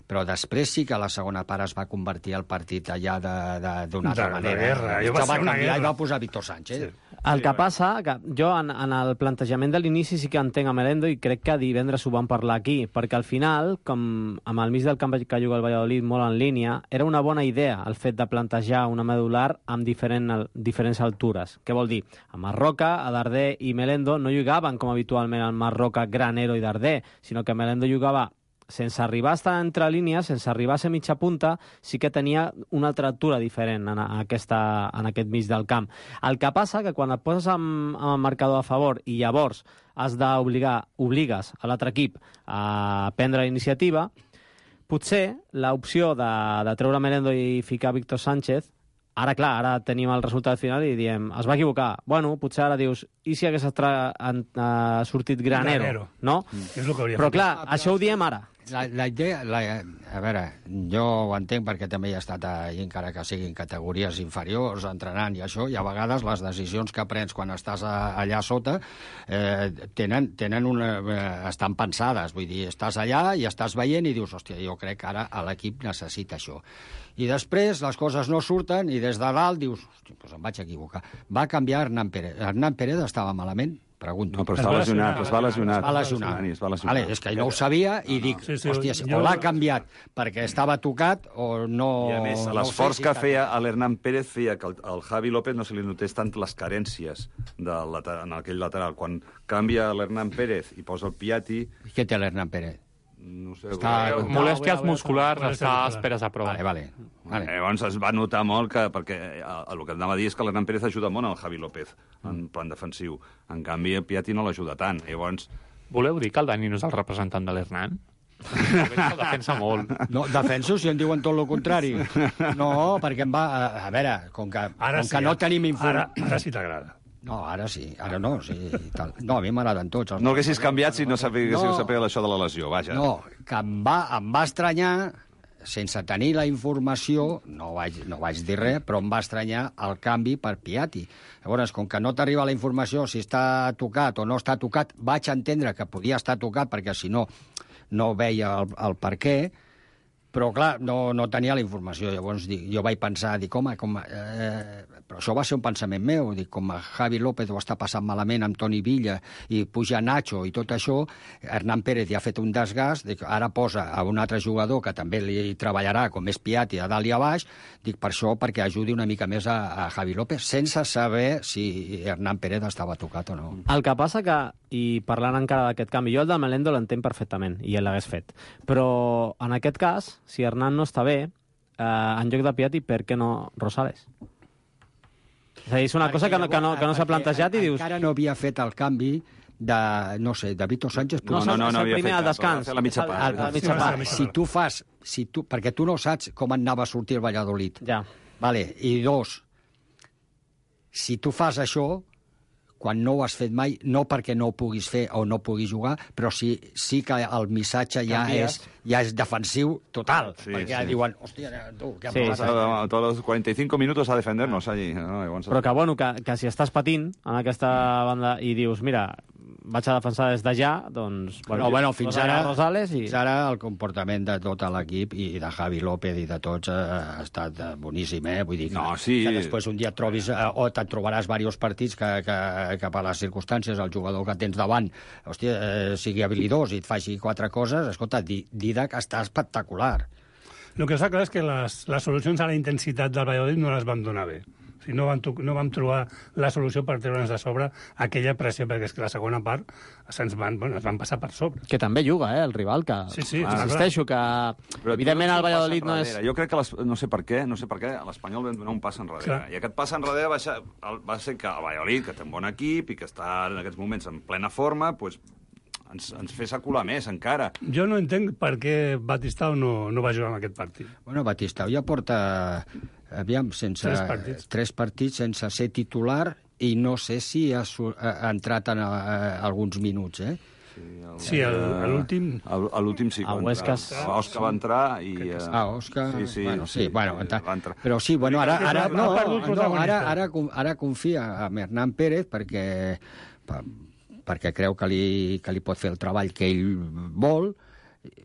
Però després sí que la segona part es va convertir el partit allà d'una altra de, manera. De guerra. Jo va, va canviar guerra. i va posar Víctor Sánchez. Sí. El que passa, que jo en, en el plantejament de l'inici sí que entenc a Melendo i crec que divendres ho vam parlar aquí, perquè al final, com amb el mig del camp que juga el Valladolid molt en línia, era una bona idea el fet de plantejar una medular amb diferent, diferents altures. Què vol dir? A Marroca, a Darder i Melendo no jugaven com habitualment el Marroca, Granero i Darder, sinó que Melendo jugava sense arribar a estar entre línies, sense arribar a ser mitja punta, sí que tenia una altra altura diferent en, aquesta, en aquest mig del camp. El que passa que quan et poses amb, amb el marcador a favor i llavors has d'obligar, obligues a l'altre equip a prendre la iniciativa, potser l'opció de, de treure Melendo i ficar Víctor Sánchez, ara, clar, ara tenim el resultat final i diem, es va equivocar. Bueno, potser ara dius, i si hagués estra, en, uh, sortit Granero, Granero. no? Mm. És el que hauria Però fet. clar, això ho diem ara. La, la idea, la, a veure, jo ho entenc perquè també he estat allà, encara que siguin categories inferiors, entrenant i això, i a vegades les decisions que prens quan estàs a, allà sota eh, tenen, tenen una, eh, estan pensades, vull dir, estàs allà i estàs veient i dius, hòstia, jo crec que ara l'equip necessita això. I després les coses no surten i des de dalt dius, hòstia, doncs em vaig equivocar. Va canviar Hernán Pérez. Hernán Pérez estava malament, pregunto. No, però està lesionat, es va lesionar. Es va lesionar. Es va lesionar. Vale, és que no ho sabia i dic, Sí, sí, hòstia, jo- o l'ha canviat perquè estava tocat o no... I a més, no l'esforç sé si que està feia a l'Hernán Pérez feia que el, el Javi López no se li notés tant les carències del lateral, en aquell lateral. Quan canvia l'Hernán Pérez i posa el Piatti... Què té l'Hernán Pérez? No sé... Està- eh, Molèsties musculars, Molèsties està a musculars. esperes a prova. Vale, vale. vale. Llavors es va notar molt que, perquè eh, el que anava a dir és que l'Hernán Pérez ajuda molt al Javi López en plan defensiu. En canvi, el Piatti no l'ajuda tant. Llavors, Voleu dir que el Dani no és el representant de l'Hernán? El defensa molt. No, defenso si em diuen tot el contrari. No, perquè em va... A, a veure, com que, Ara com sí, que no ara- tenim Ara, informació... ara sí t'agrada. No, ara sí, ara no, sí, i tal. No, a mi m'agraden tots. Els no l'haguessis canviat si no sapigués No. no. sapigués això de la lesió, vaja. No, que em va, em va estranyar, sense tenir la informació, no vaig, no vaig dir res, però em va estranyar el canvi per Piatti. Llavors, com que no t'arriba la informació si està tocat o no està tocat, vaig entendre que podia estar tocat perquè si no, no veia el, el per què, però clar, no, no tenia la informació. Llavors dic, jo vaig pensar, dic, home, com, eh, però això va ser un pensament meu, dic, com Javi López ho està passant malament amb Toni Villa i puja Nacho i tot això, Hernán Pérez ja ha fet un desgast, dic, ara posa a un altre jugador que també li treballarà, com és Piatti, a dalt i a baix, dic, per això, perquè ajudi una mica més a, a Javi López, sense saber si Hernán Pérez estava tocat o no. El que passa que, i parlant encara d'aquest canvi, jo el de Melendo l'entenc perfectament, i ell l'hagués fet. Però, en aquest cas, si Hernán no està bé, eh, en lloc de Piatti, per què no Rosales? És a dir, és una cosa que no, que no, que no s'ha plantejat i dius... Encara no havia fet el canvi de, no sé, de Vito Sánchez. No, no, no, no, el el primer al descans. la mitja És el- part. el- la mitja Sí, part. sí, sí. Si tu fas... Si tu, perquè tu no saps com anava a sortir el Valladolid. Ja. Vale. I dos, si tu fas això, quan no ho has fet mai, no perquè no ho puguis fer o no puguis jugar, però sí, sí que el missatge ja Canvies. és, ja és defensiu total. Sí, perquè sí. diuen, hòstia, tu, què Sí, sí, sí. A, a todos los cuarenta y cinco minutos a defendernos allí. No? Llavors, Però que, bueno, que, que si estàs patint en aquesta banda i dius, mira, vaig a defensar des de ja, doncs... Bueno, bueno, fins posa ara, Rosales i... fins ara el comportament de tot l'equip i de Javi López i de tots eh, ha estat eh, boníssim, eh? Vull dir que, No, sí. que després un dia et trobis, eh, o te'n trobaràs diversos partits que, que, que per les circumstàncies el jugador que tens davant, hòstia, eh, sigui habilidós i et faci quatre coses, escolta, Di- Didac està espectacular. El que està clar és que les, les solucions a la intensitat del Valladolid no les vam donar bé. O sigui, no, vam, to- no vam trobar la solució per treure'ns de sobre aquella pressió, perquè és que la segona part se'ns van, bueno, es van passar per sobre. Que també juga, eh, el rival, que... Sí, sí, ah, està insisteixo que... Però evidentment tu el no Valladolid passa no és... enrere. Jo crec que, les, no sé per què, no sé per què, l'Espanyol vam donar un pas enrere. Clar. I aquest pas enrere va ser, el- va ser que el Valladolid, que té un bon equip i que està en aquests moments en plena forma, pues, ens, ens fes acular més encara. Jo no entenc per què Batistau no, no va jugar en aquest partit. Bueno, Batistau ja porta, aviam, sense... Tres partits. Tres partits sense ser titular i no sé si ha, su- ha, ha entrat en uh, alguns minuts, eh? Sí, el- a l'últim... A a l'últim sí. que El va Huesca entrar. es- Òscar va entrar i... eh, Ah, Òscar... Sí, sí, bueno, sí, sí, bueno, sí, entra... va entrar. Però sí, bueno, ara, ara, Ha no, perdut no, protagonista. ara, ara, con- ara confia en Hernán Pérez perquè, per, perquè creu que li, que li pot fer el treball que ell vol,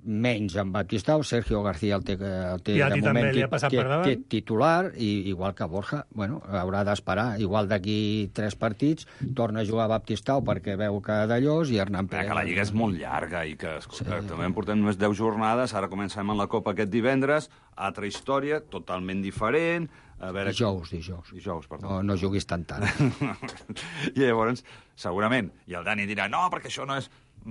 menys en Batistau, Sergio García el té, el té I a de ti també moment li ha tit- passat tit- per davant. tit- titular, i igual que Borja, bueno, haurà d'esperar. Igual d'aquí tres partits torna a jugar Batistau perquè veu que d'allòs i Hernán Mira, Pérez... que la Lliga és molt llarga i que, escolta, sí. també en portem només deu jornades, ara comencem amb la Copa aquest divendres, altra història, totalment diferent... A veure... Dijous, dijous. Dijous, perdó. No, no juguis tant tant. I llavors, segurament, i el Dani dirà, no, perquè això no és...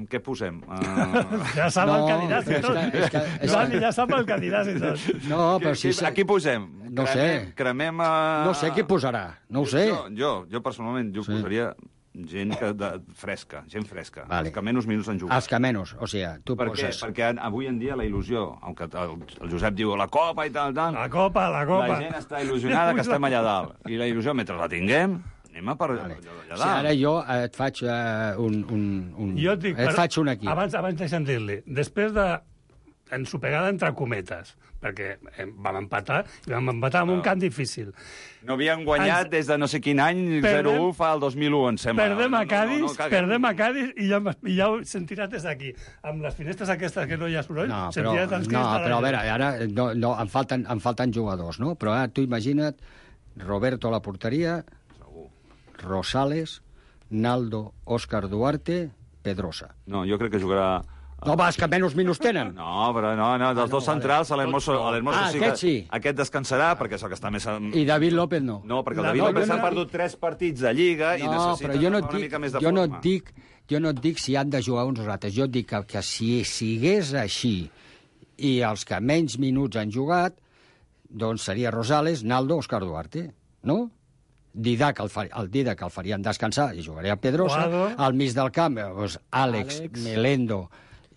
Què posem? Uh... Ja sap No, el que diràs i és tot. que- és que- és que- Dani, ja sap el que diràs i tot. No, però si... Qui, aquí posem? No sé. Cremem, cremem a... No sé qui posarà, no ho sé. Jo, jo, jo personalment, jo Sí. posaria gent que, de, fresca, gent fresca, Vale. els que menys minuts han jugat. Els que menys, o sigui, tu Per què? poses... Perquè avui en dia la il·lusió, aunque el, el Josep diu la copa i tal, tal... La copa, la copa. La gent està il·lusionada que estem allà dalt. I la il·lusió, mentre la tinguem, anem a per Vale. allà Si dalt. ara jo et faig uh, un, un, un... Jo et dic, et però faig un equip. Abans, abans deixa'm dir-li, després de ensopegada entre cometes, perquè eh, vam empatar, i vam empatar en un camp difícil. No havien guanyat Ens- des de no sé quin any, Perdem- zero u fa el dos mil u, em sembla. Perdem a Cádiz, caguem. perdem a Cádiz i ja, i ja ho sentiràs des d'aquí. Amb les finestres aquestes que no hi ha soroll, No, però, sentiràs els crits no, de la però a gent. veure, ara no, no, em, falten, em falten jugadors, no? Però ara tu imagina't Roberto a la porteria, Rosales, Naldo, Òscar Duarte, Pedrosa. No, jo crec que jugarà... No, va, és que menys minuts tenen. No, però no, no, dels Ah, no, dos centrals, vale. l'Hermoso Ah, sí aquest que... sí. Aquest descansarà, perquè és el que està més... I David López no. No, perquè el La David López no, s'ha no, perdut tres partits de Lliga i No, necessita però jo no, et una dic, mica més de jo no et forma. dic, jo no et dic si han de jugar uns o altres. Jo et dic que, que si sigués així i els que menys minuts han jugat, doncs seria Rosales, Naldo, Òscar Duarte, no? Didac el, fa, el Didac el farien descansar i jugaria a Pedrosa. Guado. Al mig del camp, doncs, Àlex, Àlex. Melendo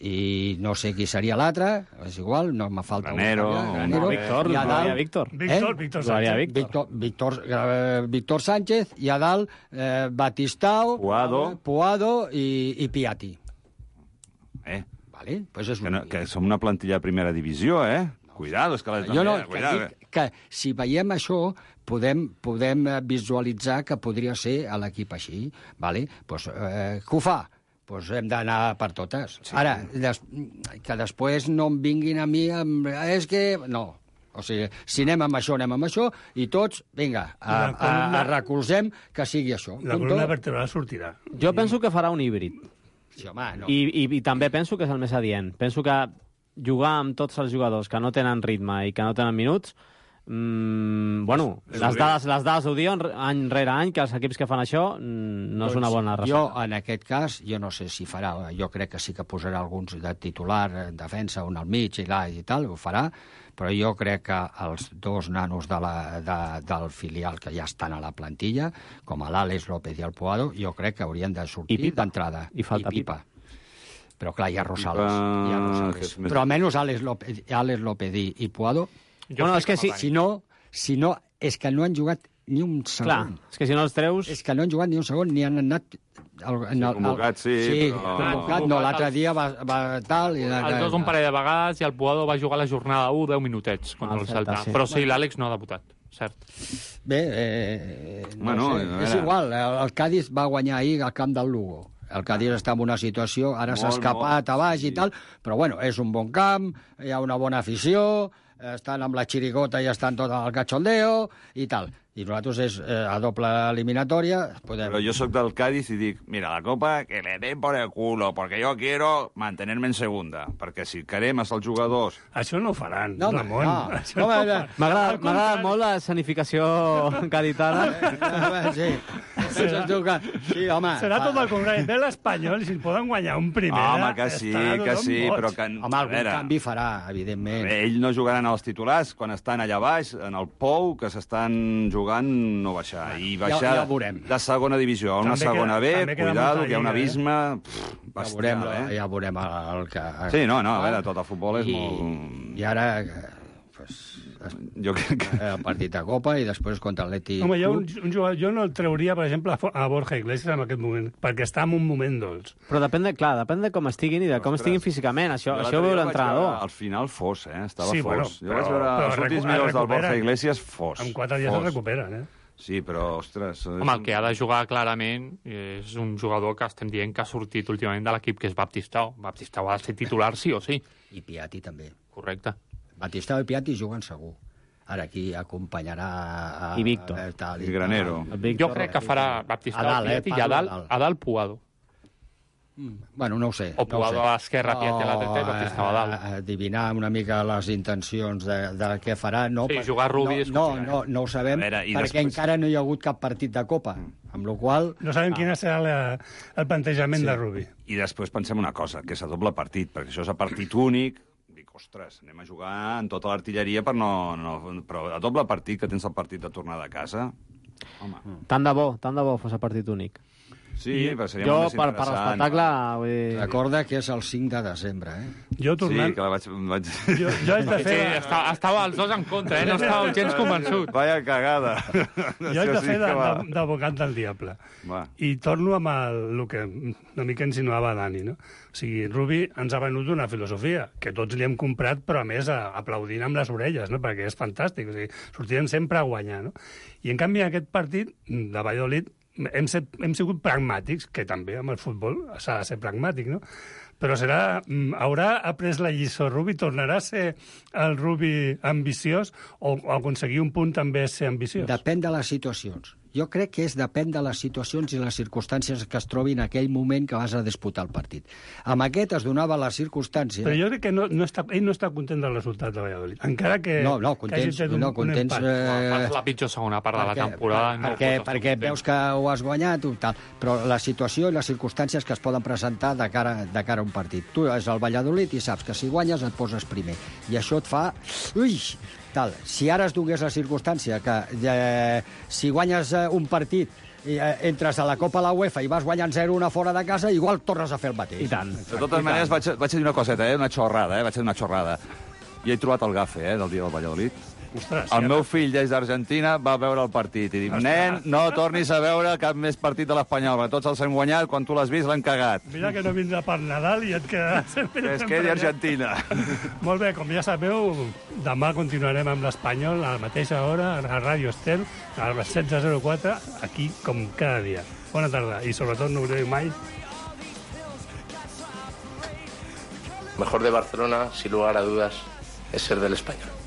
i no sé qui seria l'altre, és igual, no me falta Granero, un. No, Víctor, I a dalt- jugaria Víctor. Víctor, Eh? Víctor Jugaria Sánchez. Víctor. Víctor, Víctor, eh, Víctor Sánchez i a dalt eh, Batistao, Puado. Puado i, i Piatti. Eh, Vale? Pues és que, no, que som una plantilla de primera divisió, eh? Cuidado, és que... La, jo no, eh, que cuidado, dic que si veiem això podem, podem eh, visualitzar que podria ser a l'equip així. Vale? Pues, eh, que ho fa? Pues hem d'anar per totes. Sí. Ara, des, que després no em vinguin a mi amb... És que... No. O sigui, si anem amb això, anem amb això, i tots, vinga, a, La a, columna- a recolzem que sigui això. La Punto. columna vertebral sortirà. Jo penso que farà un híbrid. Sí, home, no. I, i, I també penso que és el més adient. Penso que jugar amb tots els jugadors que no tenen ritme i que no tenen minuts, mmm, bueno, És- és les horrible. dades, les dades ho diuen any rere any, que els equips que fan això mm, no és una bona Doncs jo, recepta. en aquest cas, jo no sé si farà, jo crec que sí que posarà alguns de titular, en defensa, un al mig i, la, i tal, ho farà, però jo crec que els dos nanos de la, de, del filial que ja estan a la plantilla, com l'Àlex López i el Puado, jo crec que haurien de I sortir Pipa. d'entrada. I falta Pipa. Però clar, hi ha Rosales. Pipa, Hi ha que Rosales. és més- Però almenys Àlex López, Àlex López i, i Puado, Jo Bueno, crec és que sí, Madani. si no, si no, és que no han jugat ni un segon. Clar, és que si no els treus... És que no han jugat ni un segon, ni han anat... El, en el, convocat, sí, sí però- convocat, no, l'altre dia va, va tal... I Els dos un parell de vegades i el Puado va jugar la jornada u deu minutets contra El el Celta, Celta. sí. Però sí, l'Àlex no ha debutat, cert. Bé, eh, no Bueno, sé, a és veure. igual, el, el Cádiz va guanyar ahir al camp del Lugo. El Cádiz està en una situació, ara s'ha Molt, escapat molt, a baix sí. i tal, però bueno, és un bon camp, hi ha una bona afició, estan amb la xirigota i estan tot al cachondeo i tal. I nosaltres és eh, a doble eliminatòria, podem... Però jo sóc del Cádiz i dic, mira, la Copa que le den por el culo, porque yo quiero mantenerme en segunda, perquè si queremos els jugadors... Això no ho faran, No, home, Ramon. no. Això No, no ho home, faran. M'agrada Al m'agrada contrari. molt la escenificació gaditana. Sí, sí, sí, home. Serà fa- tot el contrari. Ve l'Espanyol i si en poden guanyar un primera... Home, que sí, estarà que tothom sí, boig. però que... Home, a algun veure, canvi farà, evidentment. Ell no jugaran als titulars quan estan allà baix, en el Pou, que s'estan jugant no baixar. I baixar Ja- ja ho veurem. de segona divisió a una També segona queda- B, també queda cuidado, molta que hi ha un lliga, eh? abisme... Pff, Ja bestial, veurem, eh? ja veurem el, el que... Sí, no, no, a veure, tot el futbol és I, molt... I ara, eh, pues, Jo crec que... el partit de Copa i després contra l'Atleti. Home, jo, un, un jugador, jo no el trauria, per exemple, a Fo- a Borja Iglesias en aquest moment, perquè està en un moment dolç. Però depèn de, clar, depèn de com estiguin i de com Ostres. estiguin físicament. Això, Jo això ho l'altre veu dia vaig l'entrenador. veure, Al final fos, eh? Estava Sí, fos. bueno, jo però- vaig veure però els recu- últims es minuts del recuperen. Borja Iglesias fos. En quatre dies fos. es recuperen, eh? Sí, però, ostres... Home, el que ha de jugar clarament és un jugador que estem dient que ha sortit últimament de l'equip, que és Baptistao. Baptistao ha de ser titular sí o sí. I Piatti també. Correcte. Batistao i Piatti juguen segur. Ara aquí acompanyarà... A, I Víctor. A, tal, I Granero. El Víctor, Jo crec que farà Baptistao A dalt, eh? Piatti i a Parlo a dalt, dalt. a dalt Puado. Bueno, no ho sé. O no ho Puado sé. a l'esquerra, Piatti a la dreta i Baptistao a dalt. eh, Adivinar una mica les intencions de, de què farà. No, Sí, per- jugar Rubi no, és no, complicat. no, no ho sabem, A veure, i perquè després- encara no hi ha hagut cap partit de Copa. Amb la qual No sabem quin serà la, el plantejament Sí. de Rubi. I després pensem una cosa, que és a doble partit, perquè això és a partit únic. Dic, ostres, anem a jugar en tota l'artilleria, per no, no, però a doble partit, que tens el partit de tornada a casa... Home, Tant de bo, tant de bo fos a partit únic. sí, però seria Jo, molt més per, per interessant. l'espectacle, vull dir... recorda que és el cinc de desembre, eh? Jo Sí, tornant... que la vaig... vaig... Jo, jo haig de Sí, fer... està, estava els dos en contra, eh? No estava gens convençut. Vaya cagada. Jo haig de fer de- de- d'advocat del diable. Va. I torno amb el, el que una mica insinuava Dani, no? O sigui, Rubi ens ha venut una filosofia que tots li hem comprat, però a més a, aplaudint amb les orelles, no? Perquè és fantàstic, o sigui, sortirem sempre a guanyar, no? I en canvi en aquest partit de Valladolid hem, set, hem sigut pragmàtics, que també amb el futbol s'ha de ser pragmàtic, no? Però serà, mm, haurà après la lliçó Rubi, tornarà a ser el Rubi ambiciós o, o aconseguir un punt també és ser ambiciós? Depèn de les situacions. Jo crec que és depèn de les situacions i les circumstàncies que es trobi en aquell moment que vas a disputar el partit. Amb aquest es donava la circumstància... Però jo crec que no, no està, ell no està content del resultat de Valladolid. Encara que... No, no, contents, que un, no, contents... un eh, És la pitjor segona part perquè, de la temporada. Per, no perquè pots perquè estar veus que ho has guanyat, i tal, però la situació i les circumstàncies que es poden presentar de cara, de cara a un partit. Tu és el Valladolid i saps que si guanyes et poses primer. I això et fa... Ui! Tal. Si ara es donés la circumstància que eh, si guanyes eh, un partit i eh, entres a la Copa a la UEFA i vas guanyant zero una fora de casa, igual tornes a fer el mateix. I tant. De totes maneres, vaig, vaig dir una coseta, eh? una xorrada, eh? vaig dir una xorrada. I he trobat el gafe eh? del dia del Valladolid. Ostres, el meu fill, des d'Argentina, va veure el partit i diu, nen, no tornis a veure cap més partit de l'Espanyol, perquè tots els hem guanyat, quan tu l'has vist l'han cagat. Mira que no vindrà per Nadal i et quedaràs... Que es quedi Argentina. Molt bé, com ja sabeu, demà continuarem amb l'Espanyol a la mateixa hora, a Ràdio Estel, a les setze zero quatre, aquí com cada dia. Bona tarda i sobretot no oblideu mai... Mejor de Barcelona, sin lugar a dudas, es ser del Español.